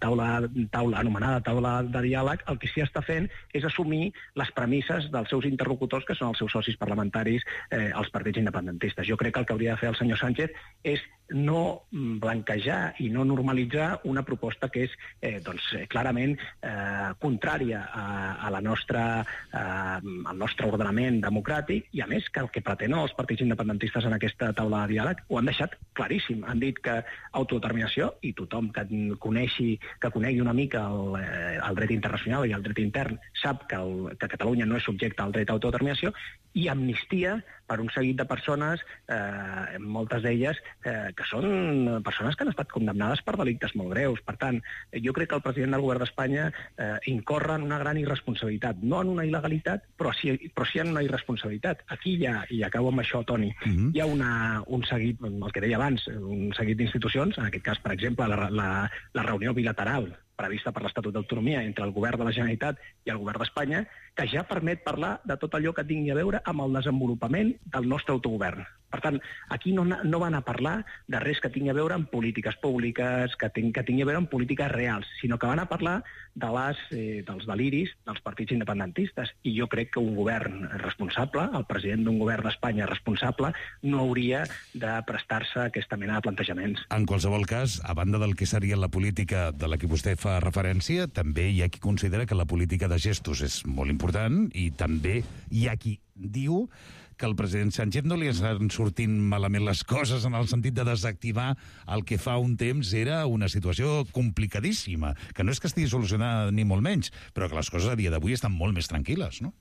taula, taula anomenada taula de diàleg, el que sí està fent és assumir les premisses dels seus interlocutors, que són els seus socis parlamentaris, eh, els partits independentistes. Jo crec que el que hauria de fer el senyor Sánchez és no blanquejar i no normalitzar una proposta que és eh, doncs, clarament eh, contrària a, a la nostra, eh, al nostre ordenament democràtic, i a més que el que pretenen els partits independentistes en aquesta taula de diàleg ho han deixat claríssim. Han dit que autodeterminació, i tothom que coneixi, que conegui una mica el, eh, el dret internacional i el dret intern sap que, el, que Catalunya no és subjecte al dret a autodeterminació, i amnistia per un seguit de persones, eh, moltes d'elles eh, que són persones que han estat condemnades per delictes molt greus. Per tant, jo crec que el president del govern d'Espanya eh, incorre en una gran irresponsabilitat, no en una il·legalitat, però sí, però sí en una irresponsabilitat. Aquí hi ha, i acabo amb això, Toni, uh-huh. hi ha una, un seguit, el que deia abans, un seguit d'institucions, en aquest cas, per exemple, la, la, la reunió bilateral prevista per l'Estatut d'Autonomia entre el govern de la Generalitat i el govern d'Espanya, que ja permet parlar de tot allò que tingui a veure amb el desenvolupament del nostre autogovern. Per tant, aquí no, no van a parlar de res que tingui a veure amb polítiques públiques, que, ting, que tingui a veure amb polítiques reals, sinó que van a parlar de les, eh, dels deliris dels partits independentistes. I jo crec que un govern responsable, el president d'un govern d'Espanya responsable, no hauria de prestar-se a aquesta mena de plantejaments. En qualsevol cas, a banda del que seria la política de la que vostè fa referència, també hi ha qui considera que la política de gestos és molt important, i també hi ha qui diu que al president Sánchez no li estan sortint malament les coses, en el sentit de desactivar el que fa un temps era una situació complicadíssima, que no és que estigui solucionada ni molt menys, però que les coses a dia d'avui estan molt més tranquil·les, no?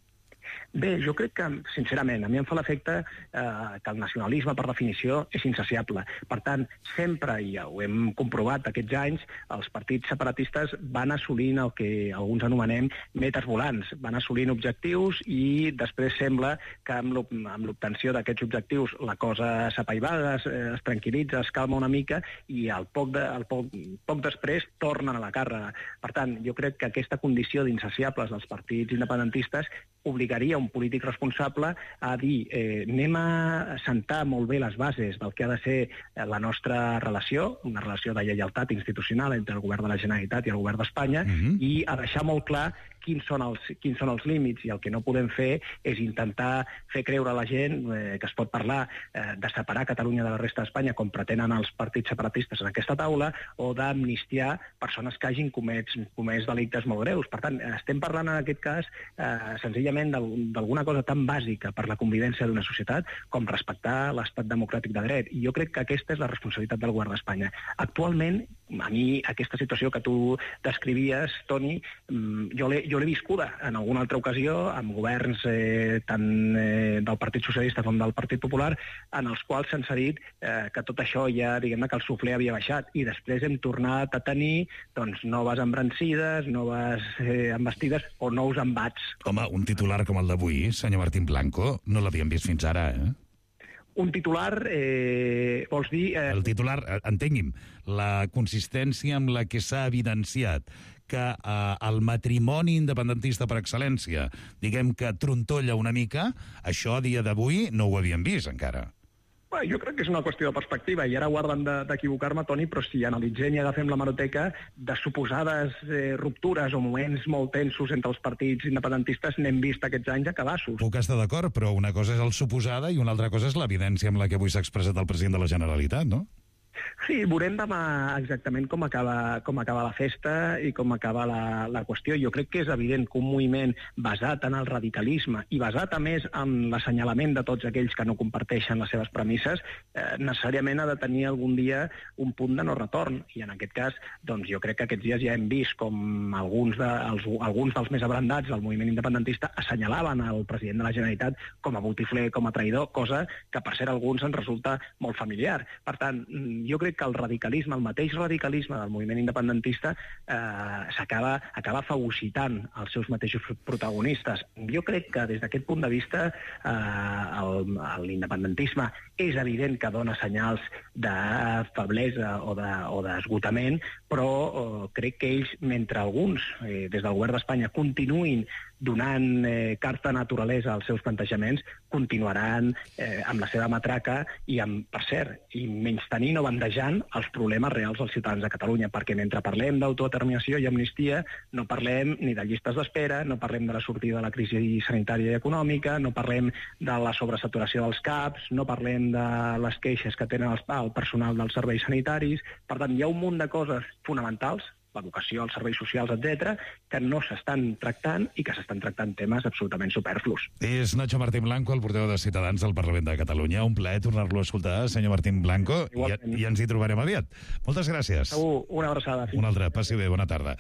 Bé, jo crec que, sincerament, a mi em fa l'efecte eh, que el nacionalisme, per definició, és insaciable. Per tant, sempre, i ja ho hem comprovat aquests anys, els partits separatistes van assolint el que alguns anomenem metes volants, van assolint objectius i després sembla que amb l'obtenció d'aquests objectius la cosa s'apaivaga, es, es tranquil·litza, es calma una mica i al poc, de, al poc, poc després tornen a la càrrega. Per tant, jo crec que aquesta condició d'insaciables dels partits independentistes obligaria un polític responsable a dir eh, anem a sentar molt bé les bases del que ha de ser la nostra relació, una relació de lleialtat institucional entre el govern de la Generalitat i el govern d'Espanya, mm-hmm. i a deixar molt clar quins són, els, quins són els límits, i el que no podem fer és intentar fer creure a la gent eh, que es pot parlar eh, de separar Catalunya de la resta d'Espanya, com pretenen els partits separatistes en aquesta taula, o d'amnistiar persones que hagin comès, comès delictes molt greus. Per tant, estem parlant en aquest cas eh, senzillament d'alguna cosa tan bàsica per la convivència d'una societat com respectar l'estat democràtic de dret. I jo crec que aquesta és la responsabilitat del govern d'Espanya. Actualment, a mi, aquesta situació que tu descrivies, Toni, jo l'he jo l'he viscuda en alguna altra ocasió amb governs eh, tant eh, del Partit Socialista com del Partit Popular, en els quals se'ns ha dit eh, que tot això ja, diguem-ne, que el suflé havia baixat, i després hem tornat a tenir doncs, noves embrancides, noves eh, embestides o nous embats. Home, un titular com el d'avui, senyor Martín Blanco, no l'havíem vist fins ara, eh? Un titular, eh, vols dir... Eh... El titular, entengui'm, la consistència amb la que s'ha evidenciat que eh, el matrimoni independentista per excel·lència, diguem que trontolla una mica, això a dia d'avui no ho havíem vist encara. Bé, jo crec que és una qüestió de perspectiva, i ara guarden d'equivocar-me, Toni, però si analitzem i agafem l'hemeroteca de suposades eh, ruptures o moments molt tensos entre els partits independentistes, n'hem vist aquests anys a cabassos. Puc estar d'acord, però una cosa és el suposada i una altra cosa és l'evidència amb la que avui s'ha expressat el president de la Generalitat, no? Sí, veurem demà exactament com acaba, com acaba la festa i com acaba la, la qüestió. Jo crec que és evident que un moviment basat en el radicalisme i basat, a més, en l'assenyalament de tots aquells que no comparteixen les seves premisses, eh, necessàriament ha de tenir algun dia un punt de no retorn. I en aquest cas, doncs, jo crec que aquests dies ja hem vist com alguns, de, els, alguns dels més abrandats del moviment independentista assenyalaven el president de la Generalitat com a botifler, com a traïdor, cosa que, per cert, a alguns ens resulta molt familiar. Per tant, jo crec que el radicalisme, el mateix radicalisme del moviment independentista eh, s'acaba acaba fagocitant els seus mateixos protagonistes. Jo crec que des d'aquest punt de vista eh, l'independentisme és evident que dona senyals de feblesa o d'esgotament, de, però eh, crec que ells, mentre alguns eh, des del govern d'Espanya continuïn donant eh, carta naturalesa als seus plantejaments, continuaran eh, amb la seva matraca i, amb, per cert, i menystenint o bandejant els problemes reals dels ciutadans de Catalunya, perquè mentre parlem d'autodeterminació i amnistia no parlem ni de llistes d'espera, no parlem de la sortida de la crisi sanitària i econòmica, no parlem de la sobresaturació dels CAPs, no parlem de les queixes que tenen el, el personal dels serveis sanitaris. Per tant, hi ha un munt de coses fonamentals, l'educació, els serveis socials, etcètera, que no s'estan tractant i que s'estan tractant temes absolutament superflus. És Nacho Martín Blanco, el portaveu de Ciutadans del Parlament de Catalunya. Un plaer tornar-lo a escoltar, senyor Martín Blanco, i, i ens hi trobarem aviat. Moltes gràcies. Segur, una abraçada. Una altra, passi bé, bona tarda.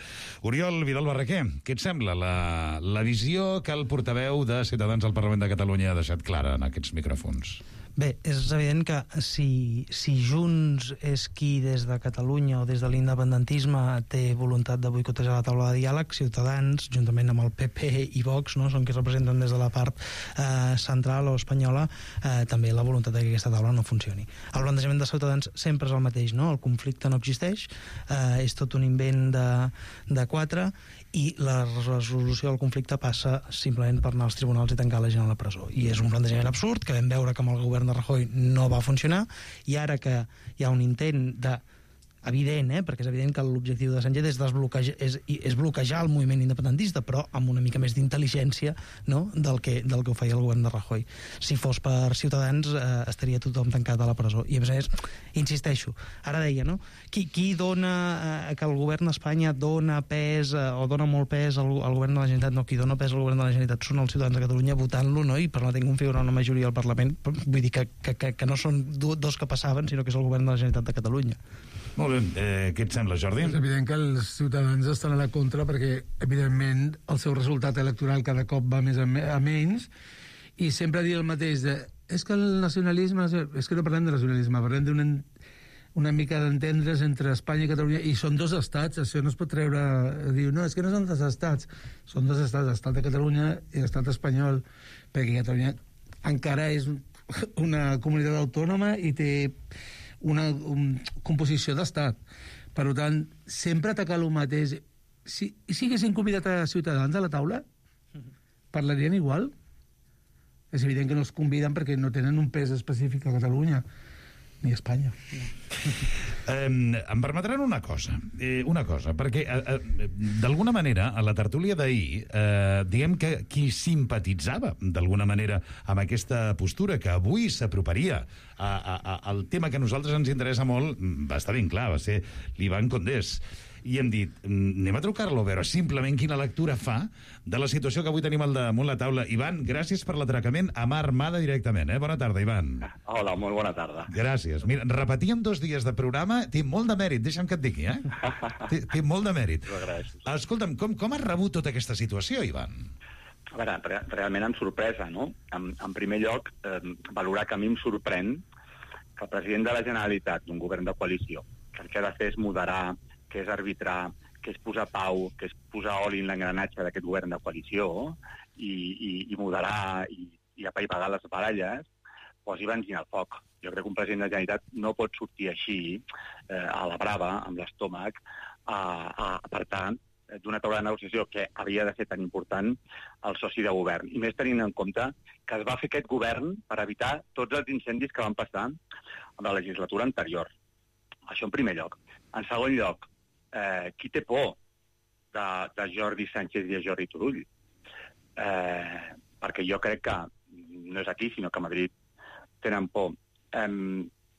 Oriol Vidal Barraquer, què et sembla la, la visió que el portaveu de Ciutadans del Parlament de Catalunya ha deixat clara en aquests micròfons? Bé, és evident que si, si Junts és qui des de Catalunya o des de l'independentisme té voluntat de boicotejar la taula de diàleg, Ciutadans, juntament amb el P P i Vox, no, són qui representen des de la part eh, central o espanyola, eh, també la voluntat de que aquesta taula no funcioni. El plantejament de Ciutadans sempre és el mateix, no? El conflicte no existeix, eh, és tot un invent de, de quatre, i la resolució del conflicte passa simplement per anar als tribunals i tancar la gent a la presó. I és un plantejament absurd que vam veure que amb el govern de Rajoy no va funcionar, i ara que hi ha un intent de evident, eh? perquè és evident que l'objectiu de Sánchez és, desbloquejar, és, és bloquejar el moviment independentista, però amb una mica més d'intel·ligència, no? del, que, del que ho feia el govern de Rajoy. Si fos per Ciutadans eh, estaria tothom tancat a la presó. I a més a més, insisteixo, ara deia, no? Qui, qui dona eh, que el govern d'Espanya dona pes eh, o dona molt pes al, al govern de la Generalitat? No, qui dona pes al govern de la Generalitat són els ciutadans de Catalunya votant-lo, no? I permetent configurar una majoria al Parlament. Vull dir que, que, que, que no són dos que passaven, sinó que és el govern de la Generalitat de Catalunya. Molt bé. Eh, què et sembla, Jordi? És evident que els ciutadans estan a la contra perquè, evidentment, el seu resultat electoral cada cop va més a, me a menys, i sempre dir el mateix de és que el nacionalisme... És que no parlem de nacionalisme, parlem d'una una mica d'entendre's entre Espanya i Catalunya, i són dos estats, això no es pot treure... Diu, no, és que no són dos estats, són dos estats, l'estat de Catalunya i l'estat espanyol, perquè Catalunya encara és una comunitat autònoma i té una un, composició d'estat. Per tant, sempre atacar el mateix. Si, si haguessin convidat a Ciutadans a la taula, parlarien igual? És evident que no els conviden perquè no tenen un pes específic a Catalunya ni a Espanya. Eh, em permetran una cosa, eh, una cosa, perquè eh, eh, d'alguna manera a la tertúlia d'ahir eh, diguem que qui simpatitzava d'alguna manera amb aquesta postura que avui s'aproparia a, a, a, al tema que a nosaltres ens interessa molt va estar ben clar, va ser l'Ivan Condés. I hem dit, anem a trucar-lo a veure simplement quina lectura fa de la situació que avui tenim al damunt la taula. Ivan, gràcies per l'atracament a mà armada directament. Eh? Bona tarda, Ivan. Hola, molt bona tarda. Gràcies. Mira, repetíem dos dies de programa, té molt de mèrit, deixa'm que et digui, eh? té, té molt de mèrit. Escolta'm, com, com has rebut tota aquesta situació, Ivan? A veure, re realment amb sorpresa, no? En, en primer lloc, eh, valorar que a mi em sorprèn que el president de la Generalitat, d'un govern de coalició, que el que ha de fer és moderar, que és arbitrar, que és posar pau, que és posar oli en l'engranatge d'aquest govern de coalició i, i, i moderar i, i apaivagar les baralles, posi benzina al foc. Jo crec que un president de la Generalitat no pot sortir així, eh, a la brava, amb l'estómac, a, a apartar d'una taula de negociació que havia de ser tan important el soci de govern. I més tenint en compte que es va fer aquest govern per evitar tots els incendis que van passar en la legislatura anterior. Això en primer lloc. En segon lloc, Eh, qui té por de, de Jordi Sánchez i de Jordi Turull? Eh, perquè jo crec que no és aquí, sinó que a Madrid tenen por. Eh,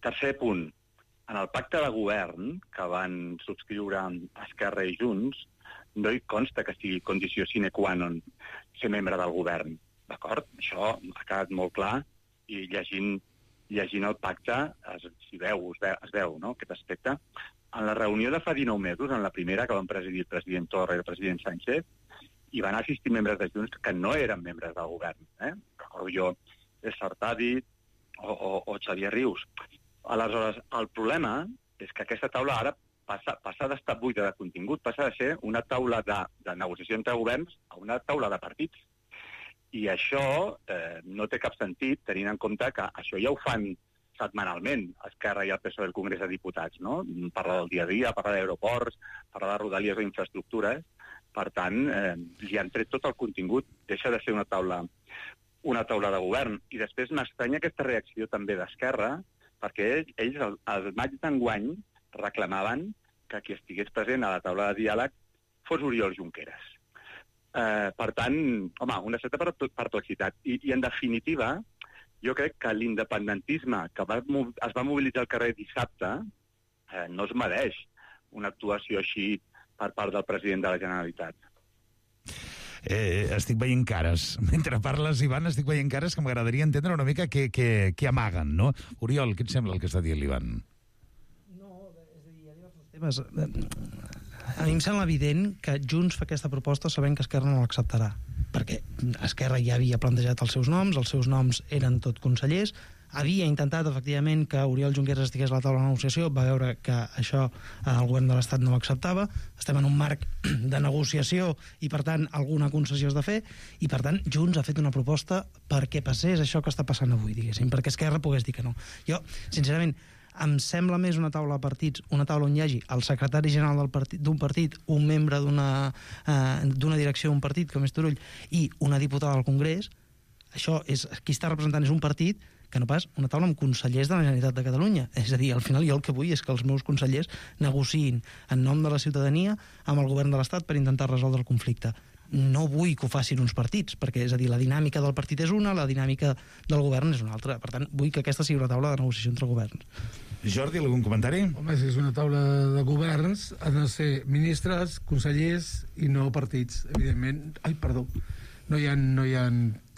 tercer punt, en el pacte de govern que van subscriure Esquerra i Junts no hi consta que sigui condició sine qua non ser membre del govern, d'acord? Això ha quedat molt clar i llegint, llegint el pacte es, es veu, es veu, es veu no? Aquest aspecte. En la reunió de fa dinou mesos, en la primera que van presidir el president Torra i el president Sánchez, hi van assistir membres de Junts que no eren membres del govern. Eh? Recordo jo Sartadi o, o, o Xavier Rius. Aleshores, el problema és que aquesta taula ara passa, passa d'estar buida de contingut, passa de ser una taula de, de negociació entre governs a una taula de partits. I això eh, no té cap sentit, tenint en compte que això ja ho fan setmanalment, Esquerra i el P S O E del Congrés de Diputats, no? Parlar del dia a dia, parlar d'aeroports, parlar de rodalies o infraestructures. Per tant, eh, li han tret tot el contingut, deixa de ser una taula, una taula de govern. I després m'estranya aquesta reacció també d'Esquerra, perquè ells, ells al, al maig d'enguany, reclamaven que qui estigués present a la taula de diàleg fos Oriol Junqueras. Eh, per tant, home, una certa perplexitat. I, i en definitiva, jo crec que l'independentisme que va, es va mobilitzar al carrer dissabte eh, no es mereix una actuació així per part del president de la Generalitat. Eh, estic veient cares. Mentre parles, Ivan, estic veient cares que m'agradaria entendre una mica què, què, què amaguen, no? Oriol, què et sembla el que està dient l'Ivan? No, és a dir, hi ha diversos temes. A mi em sembla evident que Junts fa aquesta proposta sabent que Esquerra no l'acceptarà, perquè Esquerra ja havia plantejat els seus noms, els seus noms eren tot consellers, havia intentat, efectivament, que Oriol Junqueras estigués a la taula de negociació, va veure que això el govern de l'Estat no l'acceptava, estem en un marc de negociació i, per tant, alguna concessió has de fer, i, per tant, Junts ha fet una proposta perquè passés això que està passant avui, diguéssim, perquè Esquerra pogués dir que no. Jo, sincerament, em sembla més una taula de partits, una taula on hi hagi el secretari general d'un partit, partit, un membre d'una eh, d'una direcció d'un partit, com és Turull, i una diputada al Congrés. Això és, qui està representant és un partit que no pas una taula amb consellers de la Generalitat de Catalunya. És a dir, al final jo el que vull és que els meus consellers negociïn en nom de la ciutadania amb el govern de l'Estat per intentar resoldre el conflicte. No vull que ho facin uns partits, perquè, és a dir, la dinàmica del partit és una, la dinàmica del govern és una altra. Per tant, vull que aquesta sigui una taula de negociació entre governs. Jordi, algun comentari? Home, si és una taula de governs, han de ser ministres, consellers i no partits, evidentment. Ai, perdó. No hi ha, no hi ha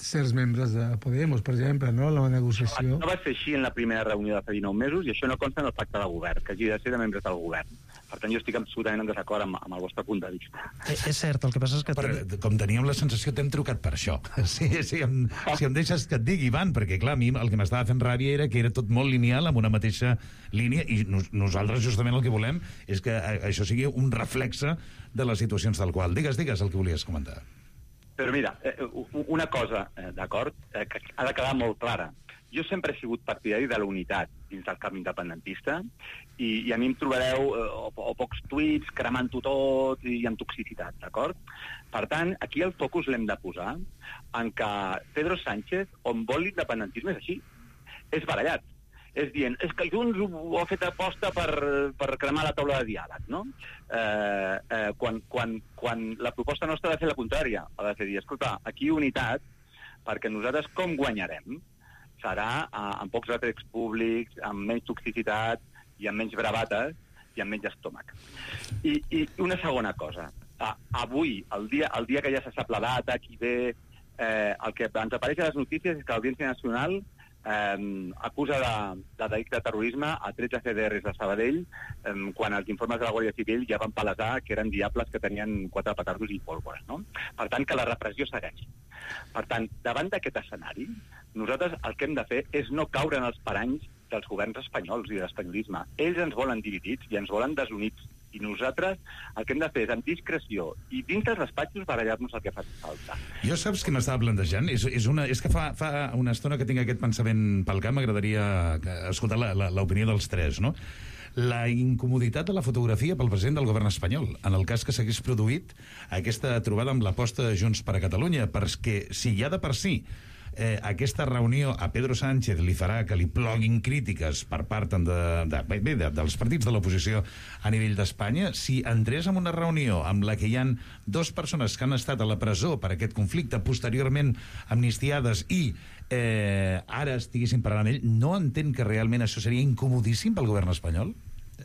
certs membres de Podemos, per exemple, no? La negociació... No va ser així en la primera reunió de fa dinou mesos i això no consta en el pacte de govern, que hagi de ser de membres del govern. Per tant, jo estic absolutament en desacord amb, amb el vostre punt de vista. És, és cert, el que passa és que... Per, com teníem la sensació, t'hem trucat per això. Sí, sí, em, si em deixes que et digui, Ivan, perquè, clar, a mi el que m'estava fent ràbia era que era tot molt lineal, amb una mateixa línia, i nos, nosaltres justament el que volem és que això sigui un reflexe de les situacions tal qual. Digues, digues el que volies comentar. Però mira, una cosa, d'acord, que ha de quedar molt clara. jo sempre he sigut partidari de la unitat dins del camp independentista i, i a mi em trobareu eh, o, o pocs tuits cremant-ho tot i amb toxicitat, d'acord? Per tant, aquí el focus l'hem de posar en que Pedro Sánchez, on vol l'independentisme és així, és barallat. És dient, és que Junts ho ha fet aposta per, per cremar la taula de diàleg, no? Eh, eh, quan, quan, quan la proposta nostra ha de fer la contrària, ha de fer dir, escolta, aquí unitat, perquè nosaltres com guanyarem? Serà eh, amb pocs rètols públics, amb menys toxicitat i amb menys bravates i amb menys estómac. I, i una segona cosa. Ah, avui, el dia, el dia que ja se sap la data, qui ve, eh, el que ens apareix a les notícies és que l'Audiència Nacional eh, acusa de, de delicte de terrorisme a tretze C D Rs de Sabadell eh, quan els informes de la Guàrdia Civil ja van palesar que eren diables que tenien quatre petardos i pólvora, no? Per tant, que la repressió segueix. Per tant, davant d'aquest escenari, nosaltres el que hem de fer és no caure en els paranys dels governs espanyols i de l'espanyolisme. Ells ens volen dividits i ens volen desunits. I nosaltres el que hem de fer és, amb discreció i dins dels despatxos, barallar-nos el que fa falta. Jo saps què m'estava plantejant? És, és, una, és que fa, fa una estona que tinc aquest pensament pel cap, m'agradaria escoltar l'opinió dels tres, no? La incomoditat de la fotografia pel president del govern espanyol, en el cas que s'hagués produït aquesta trobada amb l'aposta de Junts per a Catalunya, perquè si ja de per si eh, aquesta reunió a Pedro Sánchez li farà que li ploguin crítiques per part de, de, bé, de, dels partits de l'oposició a nivell d'Espanya, si entrés en una reunió amb la que hi han dues persones que han estat a la presó per aquest conflicte, posteriorment amnistiades i eh, ara estiguessin parlant amb ell, no entén que realment això seria incomodíssim pel govern espanyol?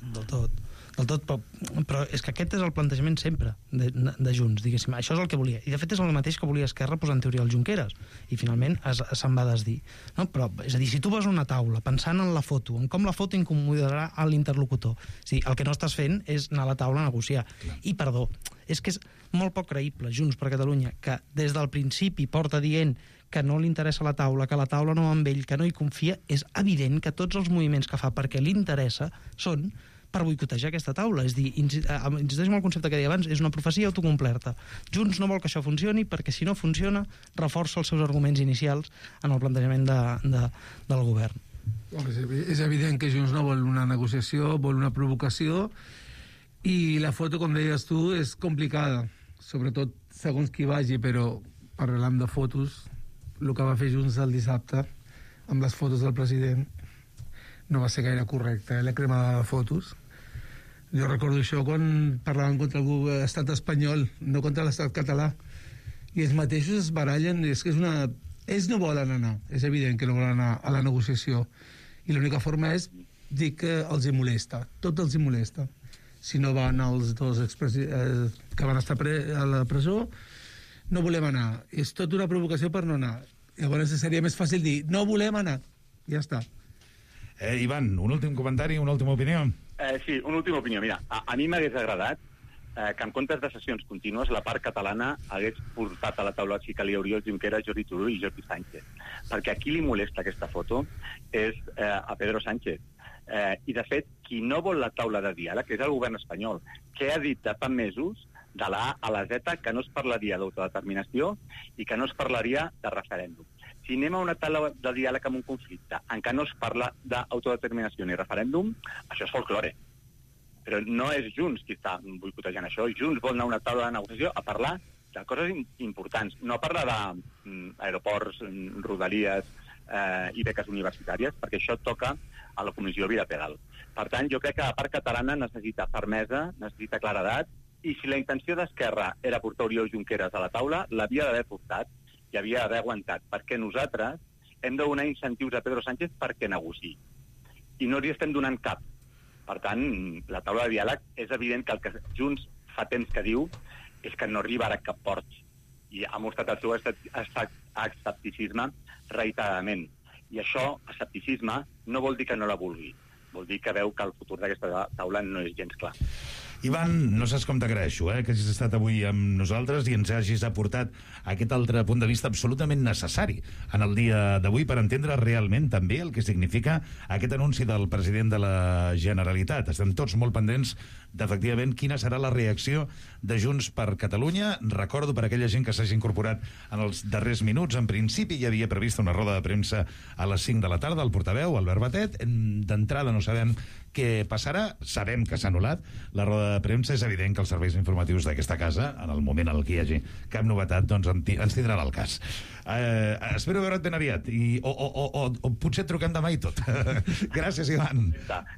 Del tot. Del tot, però, però és que aquest és el plantejament sempre de, de Junts, diguéssim. Això és el que volia. I de fet és el mateix que volia Esquerra posar en teoria el Junqueras. I finalment es, se'n va desdir. No? Però, és a dir, si tu vas a una taula pensant en la foto, en com la foto incomodarà a l'interlocutor, o sigui, el que no estàs fent és anar a la taula a negociar. Clar. I, perdó, és que és molt poc creïble Junts per Catalunya, que des del principi porta dient que no li interessa la taula, que la taula no va amb ell, que no hi confia. És evident que tots els moviments que fa perquè li interessa són per boicotejar aquesta taula. És dir, insisteixo en el concepte que deia abans, és una profecia autocomplerta. Junts no vol que això funcioni perquè si no funciona reforça els seus arguments inicials en el plantejament de, de, del govern. És evident que Junts no vol una negociació, vol una provocació, i la foto, com deies tu, és complicada, sobretot segons qui vagi, però parlant de fotos, el que va fer Junts el dissabte amb les fotos del president no va ser gaire correcte, eh? La cremada de fotos. Jo recordo això quan parlaven contra l'estat espanyol, no contra l'estat català, i ells mateixos es barallen. És que és una... Ells no volen anar, és evident que no volen anar a la negociació, i l'única forma és dir que els hi molesta, tot els hi molesta. Si no van els dos expresi... eh, que van estar pre... a la presó, no volem anar. És tot una provocació per no anar. Llavors seria més fàcil dir, no volem anar. Ja està. Eh, Ivan, un últim comentari, una última opinió. Eh, sí, una última opinió. Mira, a, a mi m'hagués agradat eh, que en comptes de sessions contínues la part catalana hagués portat a la taula si calia Oriol Junqueras, Jordi Turull i Jordi Sánchez. Perquè a qui li molesta aquesta foto és eh, a Pedro Sánchez. Eh, I, de fet, qui no vol la taula de diàleg és el govern espanyol, que ha dit de fa mesos de la A a la Z que no es parlaria d'autodeterminació i que no es parlaria de referèndum. Si anem a una taula de diàleg amb un conflicte en què no es parla d'autodeterminació ni referèndum, això és folklore. Però no és Junts qui està boicotejant això. Junts vol anar a una taula de negociació a parlar de coses importants, no a parlar d'aeroports, rodalies eh, i beques universitàries, perquè això toca a la comissió bilateral. Per tant, jo crec que la part catalana necessita fermesa, necessita claredat, i si la intenció d'Esquerra era portar Oriol Junqueras a la taula, l'havia d'haver portat i havia d'haver aguantat, perquè nosaltres hem de donar incentius a Pedro Sánchez perquè negociï. I no li estem donant cap. Per tant, la taula de diàleg és evident que el que Junts fa temps que diu és que no arribarà a cap port. I ha mostrat el seu escepticisme reiteradament. I això, escepticisme, no vol dir que no la vulgui. Vol dir que veu que el futur d'aquesta taula no és gens clar. Ivan, no saps com t'agraeixo, eh, que hagis estat avui amb nosaltres i ens hagis aportat aquest altre punt de vista absolutament necessari en el dia d'avui per entendre realment també el que significa aquest anunci del president de la Generalitat. Estem tots molt pendents d'efectivament quina serà la reacció de Junts per Catalunya. Recordo per aquella gent que s'hagi incorporat en els darrers minuts, en principi hi havia prevista una roda de premsa a les cinc de la tarda, el portaveu, Albert Batet. D'entrada no sabem què passarà, sabem que s'ha anul·lat la roda de premsa. És evident que els serveis informatius d'aquesta casa, en el moment en el que hi hagi cap novetat, doncs ens tindran al cas. Eh, espero veure't ben aviat i, o, o, o, o, o potser et truquem demà i tot. Gràcies, Ivan.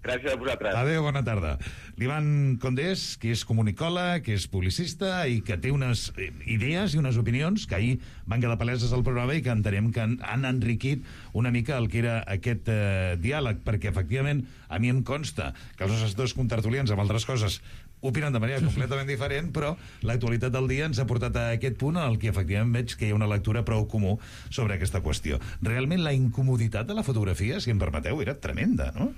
Gràcies a vosaltres. Adéu, bona tarda. L'Ivan Condés, que és comunicòleg, que és publicista i que té unes idees i unes opinions que ahir van quedar paleses al programa i que entenem que han, han enriquit una mica el que era aquest eh, diàleg, perquè efectivament a mi em consta que els nostres dos contertulians amb altres coses opinen de manera completament diferent, però l'actualitat del dia ens ha portat a aquest punt en el que efectivament veig que hi ha una lectura prou comú sobre aquesta qüestió. Realment la incomoditat de la fotografia, si em permeteu, era tremenda, no?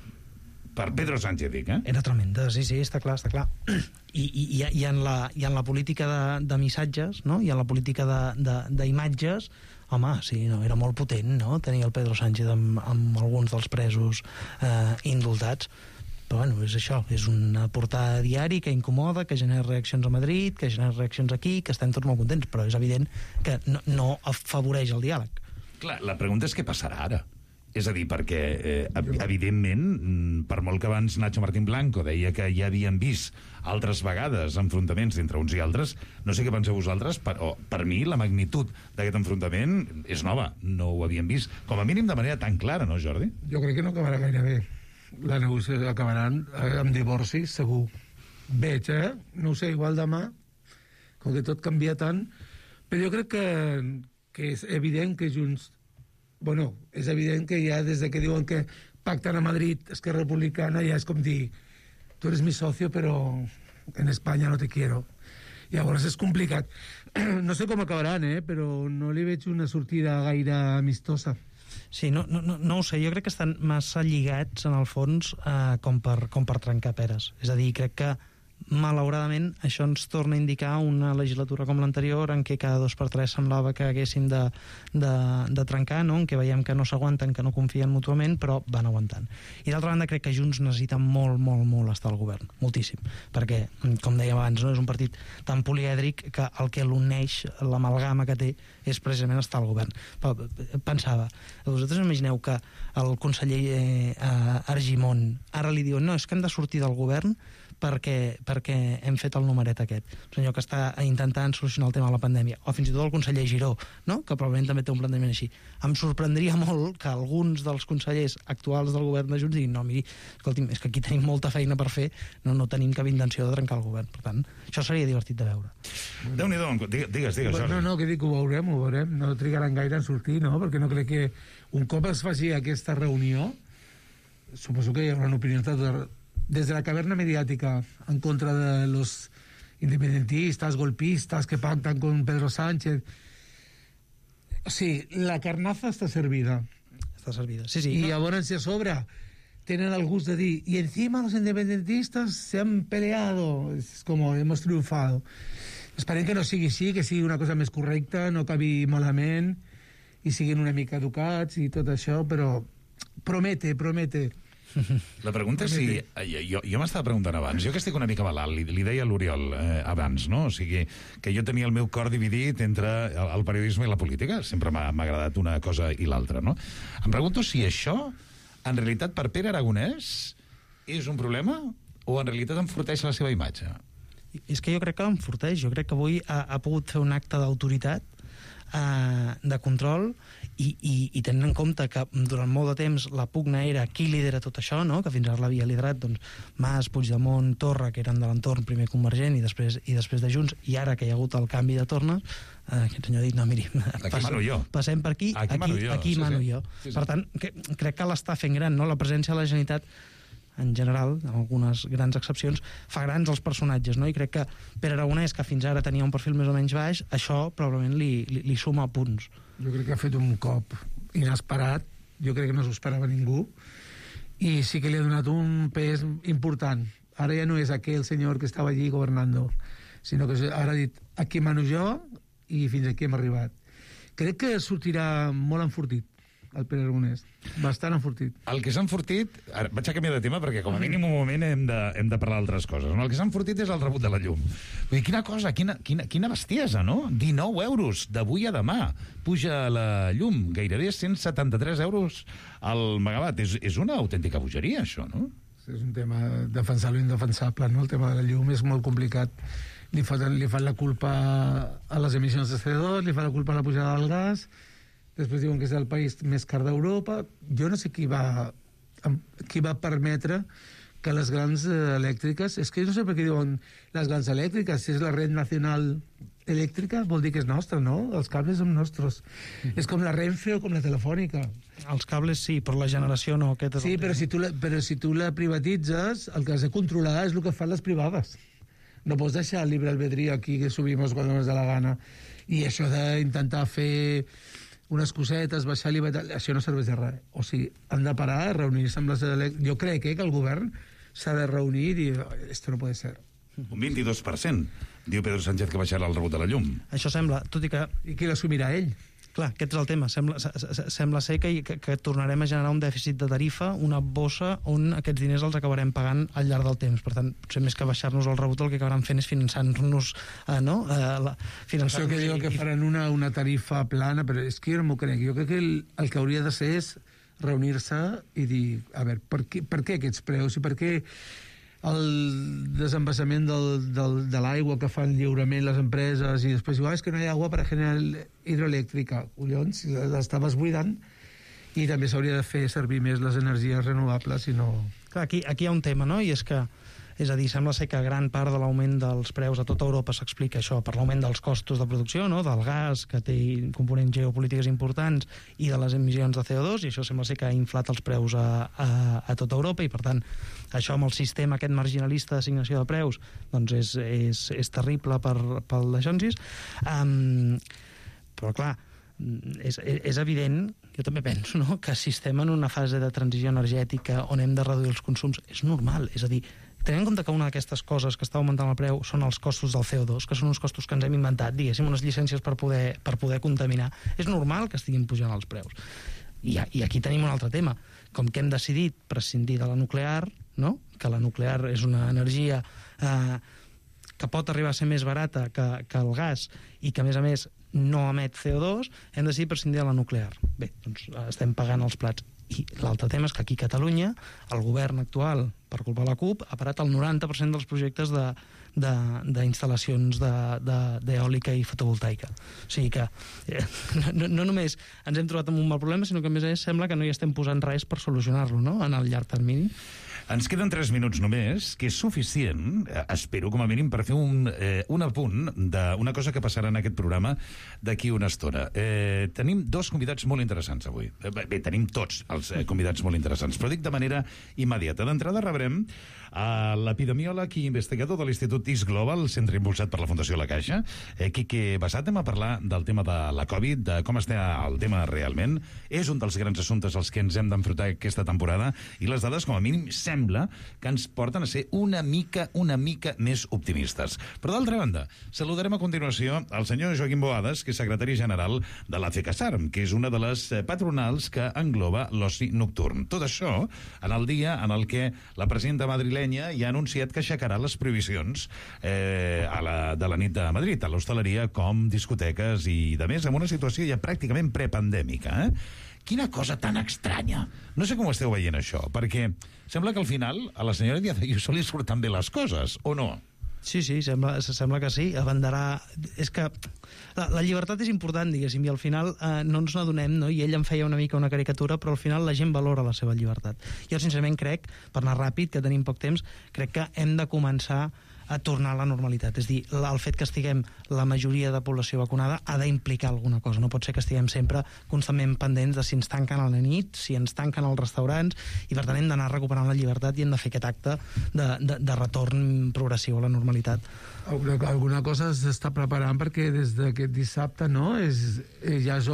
Per Pedro Sánchez, dic, eh? Era tremenda, sí, sí, està clar, està clar. I, i, i, i, en, la, i en la política de, de missatges, no? I en la política d'imatges, home, sí, no, era molt potent, no?, tenir el Pedro Sánchez amb, amb alguns dels presos eh, indultats. Però, bueno, és això, és una portada diari que incomoda, que genera reaccions a Madrid, que genera reaccions aquí, que estem tots molt contents, però és evident que no, no afavoreix el diàleg. Clar, la pregunta és què passarà ara. És a dir, perquè, eh, evidentment, per molt que abans Nacho Martín Blanco deia que ja havien vist altres vegades enfrontaments entre uns i altres, no sé què penseu vosaltres, però per mi la magnitud d'aquest enfrontament és nova, no ho havíem vist, com a mínim de manera tan clara, no, Jordi? Jo crec que no acabarà gaire bé. La negociació acabaran amb divorcis, segur. Veig, eh? No ho sé, igual demà, com que tot canvia tant, però jo crec que, que és evident que Junts... Bueno, és evident que ja des de que diuen que pacten a Madrid Esquerra Republicana ja és com dir tu eres mi socio però en Espanya no te quiero. Llavors és complicat. No sé com acabaran, eh? Però no li veig una sortida gaire amistosa. Sí, no, no, no, no ho sé, jo crec que estan massa lligats en el fons eh, com, per, com per trencar peres. És a dir, crec que malauradament això ens torna a indicar una legislatura com l'anterior en què cada dos per tres semblava que haguéssim de, de, de trencar, no? En què veiem que no s'aguanten, que no confien mútuament, però van aguantant. I d'altra banda crec que Junts necessita molt, molt, molt estar al govern, moltíssim, perquè, com dèiem abans, no? És un partit tan polièdric que el que l'uneix, l'amalgama que té, és precisament estar al govern. Però pensava, vosaltres imagineu que el conseller eh, Argimon ara li diuen no, és que hem de sortir del govern perquè, perquè hem fet el numeret aquest. El senyor que està intentant solucionar el tema de la pandèmia. O fins i tot el conseller Giró, no?, que probablement també té un plantejament així. Em sorprendria molt que alguns dels consellers actuals del govern de Junts diguin no, miri, escolti'm, és que aquí tenim molta feina per fer, no, no tenim cap intenció de trencar el govern. Per tant, això seria divertit de veure. Déu-n'hi-do, digues, digues, Jordi. No, no, que dic, ho veurem, ho veurem. No trigaran gaire en sortir, no?, perquè no crec que un cop es faci aquesta reunió, suposo que hi haurà una opinió de desde la caverna mediática en contra de los independentistas, golpistas que pactan con Pedro Sánchez. Sí, la carnaza está servida. Está servida, sí, sí. Y ahora si a sobra tienen el gusto de decir, y encima los independentistas se han peleado. Es como, hemos triunfado. Esperem que no sigui així, que sigui una cosa més correcta, no acabi malament, i siguin una mica educats i tot això, però promete, promete. La pregunta és si... Jo, jo m'estava preguntant abans, jo que estic una mica malalt, li, li deia a l'Oriol eh, abans, no? O sigui, que jo tenia el meu cor dividit entre el, el periodisme i la política, sempre m'ha agradat una cosa i l'altra, no? Em pregunto si això, en realitat, per Pere Aragonès, és un problema o en realitat enforteix la seva imatge? És que jo crec que l'enforteix, jo crec que avui ha, ha pogut fer un acte d'autoritat, eh, de control, i, i, i tenint en compte que durant molt de temps la pugna era qui lidera tot això, no?, que fins ara l'havia liderat doncs, Mas, Puigdemont, Torra, que eren de l'entorn primer Convergent i després, i després de Junts, i ara que hi ha hagut el canvi de tornes, eh, aquest senyor ha dit, no, miri, aquí mano jo. Passem per aquí, aquí, aquí, jo. aquí sí, mano sí. jo. Sí, sí. Per tant, que, crec que l'està fent gran, no?, la presència de la Generalitat en general, amb algunes grans excepcions, fa grans els personatges, no? I crec que Pere Aragonès, que fins ara tenia un perfil més o menys baix, això probablement li, li, li suma punts. Jo crec que ha fet un cop inesperat, jo crec que no s'ho esperava ningú, i sí que li ha donat un pes important Ara ja no és aquell senyor que estava allí governando, sinó que ara ha dit, aquí mano jo i fins aquí hem arribat. Crec que sortirà molt enfortit el Pere Aragonès, bastant enfortit. El que s'ha enfortit... Ara, vaig a canviar de tema perquè com a mínim un moment hem de, hem de parlar d'altres coses. No? El que s'ha enfortit és el rebut de la llum. Vull dir, quina cosa, quina, quina, quina bestiesa, no? dinou euros d'avui a demà puja la llum, gairebé cent setanta-tres euros al megawatt. És, és una autèntica bogeria, això, no? És un tema defensable i indefensable, no? El tema de la llum és molt complicat. Li fan, li fan la culpa a les emissions de C O dos, li fan la culpa a la pujada del gas, després diuen que és el país més car d'Europa. Jo no sé qui va, qui va permetre que les grans elèctriques... És que jo no sé per què diuen les grans elèctriques. Si és la red nacional elèctrica, vol dir que és nostra, no? Els cables són nostres. Mm. És com la Renfe o com la Telefònica. Els cables sí, però la generació no. Aquest és sí, però si, tu la, però si tu la privatitzes, el que has de controlar és el que fan les privades. No pots deixar el libre albedrío aquí que subimos cuando nos da la gana. I això d'intentar fer unes cosetes, baixar l'I V A, això no serveix de res. O sigui, han de parar, reunir-se amb les elèctriques. Jo crec eh, que el govern s'ha de reunir i dir, esto no puede ser. Un vint-i-dos per cent, diu Pedro Sánchez que baixarà el rebut de la llum. Això sembla, tot i que... I qui l'assumirà ell? Clar, aquest és el tema. Sembla, sembla ser que, que, que tornarem a generar un dèficit de tarifa, una bossa on aquests diners els acabarem pagant al llarg del temps. Per tant, potser més que baixar-nos el rebut, el que acabaran fent és finançar-nos, eh, no? Eh, la, finançar Això que diu que faran una, una tarifa plana, però és que jo no m'ho crec. Jo crec que el, el que hauria de ser és reunir-se i dir, a veure, per què, per què aquests preus i per què el desembassament del, del, de l'aigua que fan lliurement les empreses i després diu, ah, és que no hi ha aigua per a generar hidroelèctrica. Collons, l'estaves buidant. I també s'hauria de fer servir més les energies renovables i no... Clar, aquí, aquí hi ha un tema, no? I és que, és a dir, sembla ser que gran part de l'augment dels preus a tota Europa s'explica això per l'augment dels costos de producció, no? Del gas, que té components geopolítiques importants, i de les emissions de C O dos, i això sembla ser que ha inflat els preus a, a, a tota Europa, i per tant, això amb el sistema aquest marginalista d'assignació de preus, doncs és, és, és terrible per, pel deixonsis. Um, però clar, és, és evident, jo també penso, no?, que si estem en una fase de transició energètica on hem de reduir els consums, és normal, és a dir, tenint en compte que una d'aquestes coses que està augmentant el preu són els costos del C O dos, que són uns costos que ens hem inventat, diguéssim, unes llicències per poder, per poder contaminar, és normal que estiguin pujant els preus. I, I aquí tenim un altre tema. Com que hem decidit prescindir de la nuclear, no?, que la nuclear és una energia eh, que pot arribar a ser més barata que, que el gas i que, a més a més, no emet C O dos, hem decidit prescindir de la nuclear. Bé, doncs estem pagant els plats. I l'altre tema és que aquí a Catalunya el govern actual, per culpa de la CUP, ha parat el noranta per cent dels projectes de, de, d'instal·lacions d'eòlica i fotovoltaica. O sigui que eh, no, no només ens hem trobat amb un mal problema, sinó que a més a més sembla que no hi estem posant res per solucionar-lo, no?, en el llarg termini. Ens queden tres minuts només, que és suficient, eh, espero, com a mínim, per fer un, eh, un apunt d'una cosa que passarà en aquest programa d'aquí una estona. Eh, tenim dos convidats molt interessants avui. Eh, bé, tenim tots els eh, convidats molt interessants, però dic de manera immediata. D'entrada rebrem a l'epidemiòleg i investigador de l'Institut Is Global, centre impulsat per la Fundació La Caixa, eh, Quique Bassat, anem a parlar del tema de la Covid, de com està el tema realment. És un dels grans assumptes als que ens hem d'enfrontar aquesta temporada, i les dades, com a mínim, sembla que ens porten a ser una mica, una mica més optimistes. Però, d'altra banda, saludarem a continuació el senyor Joaquim Boades, que és secretari general de la FECASARM, que és una de les patronals que engloba l'oci nocturn. Tot això en el dia en el que la presidenta madrilenya ja ha anunciat que aixecarà les prohibicions eh, a la, de la nit de Madrid, a l'hostaleria com discoteques i de més, amb una situació ja pràcticament prepandèmica, eh? Quina cosa tan estranya. No sé com ho esteu veient, això, perquè sembla que al final a la senyora Díaz Ayuso li surten bé les coses, o no? Sí, sí, sembla, sembla que sí. Abanderà... És que la, la llibertat és important, diguéssim, i al final eh, no ens n'adonem, no? I ell em feia una mica una caricatura, però al final la gent valora la seva llibertat. Jo, sincerament, crec, per anar ràpid, que tenim poc temps, crec que hem de començar a tornar a la normalitat. És dir, el fet que estiguem la majoria de població vacunada ha d'implicar alguna cosa. No pot ser que estiguem sempre constantment pendents de si ens tanquen a la nit, si ens tanquen als restaurants, i per tant hem d'anar recuperant la llibertat i hem de fer aquest acte de, de, de retorn progressiu a la normalitat. Alguna cosa s'està preparant perquè des d'aquest dissabte, no? És, ja és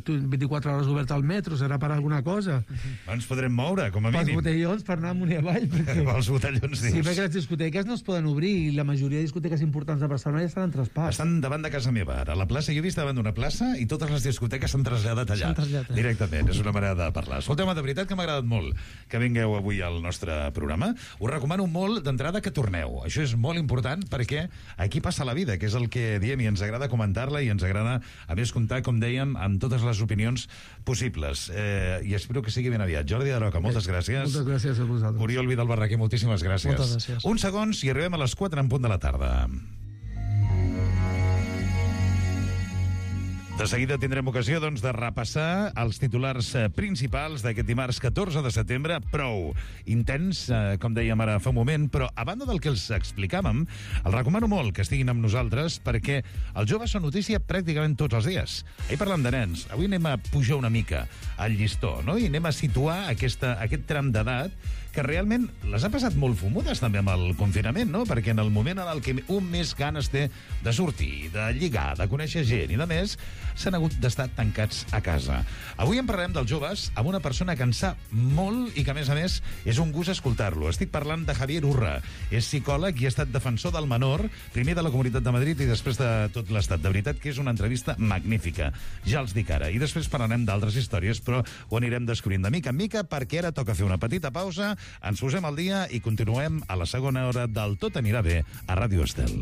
vint-i-quatre hores obert al metro, serà per alguna cosa. No ens podrem moure, com a mínim. Pels botellons per anar amunt i avall. Perquè... Pels botellons, dius. Sí, perquè les discoteques no es poden obrir i la majoria de discoteques importants de Barcelona ja estan en traspàs. Estan davant de casa meva, ara. A la plaça, jo he vist davant d'una plaça i totes les discoteques s'han traslladat allà. Traslladat. Directament, és una manera de parlar. Escolteu-me, de veritat que m'ha agradat molt que vingueu avui al nostre programa. Us recomano molt d'entrada que torneu. Això és molt important perquè aquí passa la vida, que és el que diem, i ens agrada comentar-la i ens agrada, a més, comptar, com dèiem, amb totes les opinions possibles. Eh, I espero que sigui ben aviat. Jordi Daroca, moltes gràcies. Moltes gràcies a vosaltres. Oriol Vidal Barraquer, moltíssimes gràcies. Moltes gràcies. Uns segons i arribem a les quatre en punt de la tarda. De seguida tindrem ocasió, doncs, de repassar els titulars eh, principals d'aquest dimarts catorze de setembre. Prou intens, eh, com dèiem ara fa un moment, però a banda del que els explicàvem, els recomano molt que estiguin amb nosaltres perquè els joves són notícia pràcticament tots els dies. Ahir parlant de nens, avui anem a pujar una mica al llistó, no? I anem a situar aquesta, aquest tram d'edat que realment les ha passat molt fumudes també amb el confinament, no? Perquè en el moment en el que un més ganes té de sortir, de lligar, de conèixer gent i de més, s'han hagut d'estar tancats a casa. Avui en parlarem dels joves amb una persona que en sap molt i que, a més a més, és un gust escoltar-lo. Estic parlant de Javier Urra. És psicòleg i ha estat defensor del menor, primer de la Comunitat de Madrid i després de tot l'Estat. De veritat que és una entrevista magnífica. Ja els dic ara. I després parlarem d'altres històries, però ho anirem descobrint de mica en mica perquè ara toca fer una petita pausa. Ens posem al dia i continuem a la segona hora del Tot anirà bé a Ràdio Estel.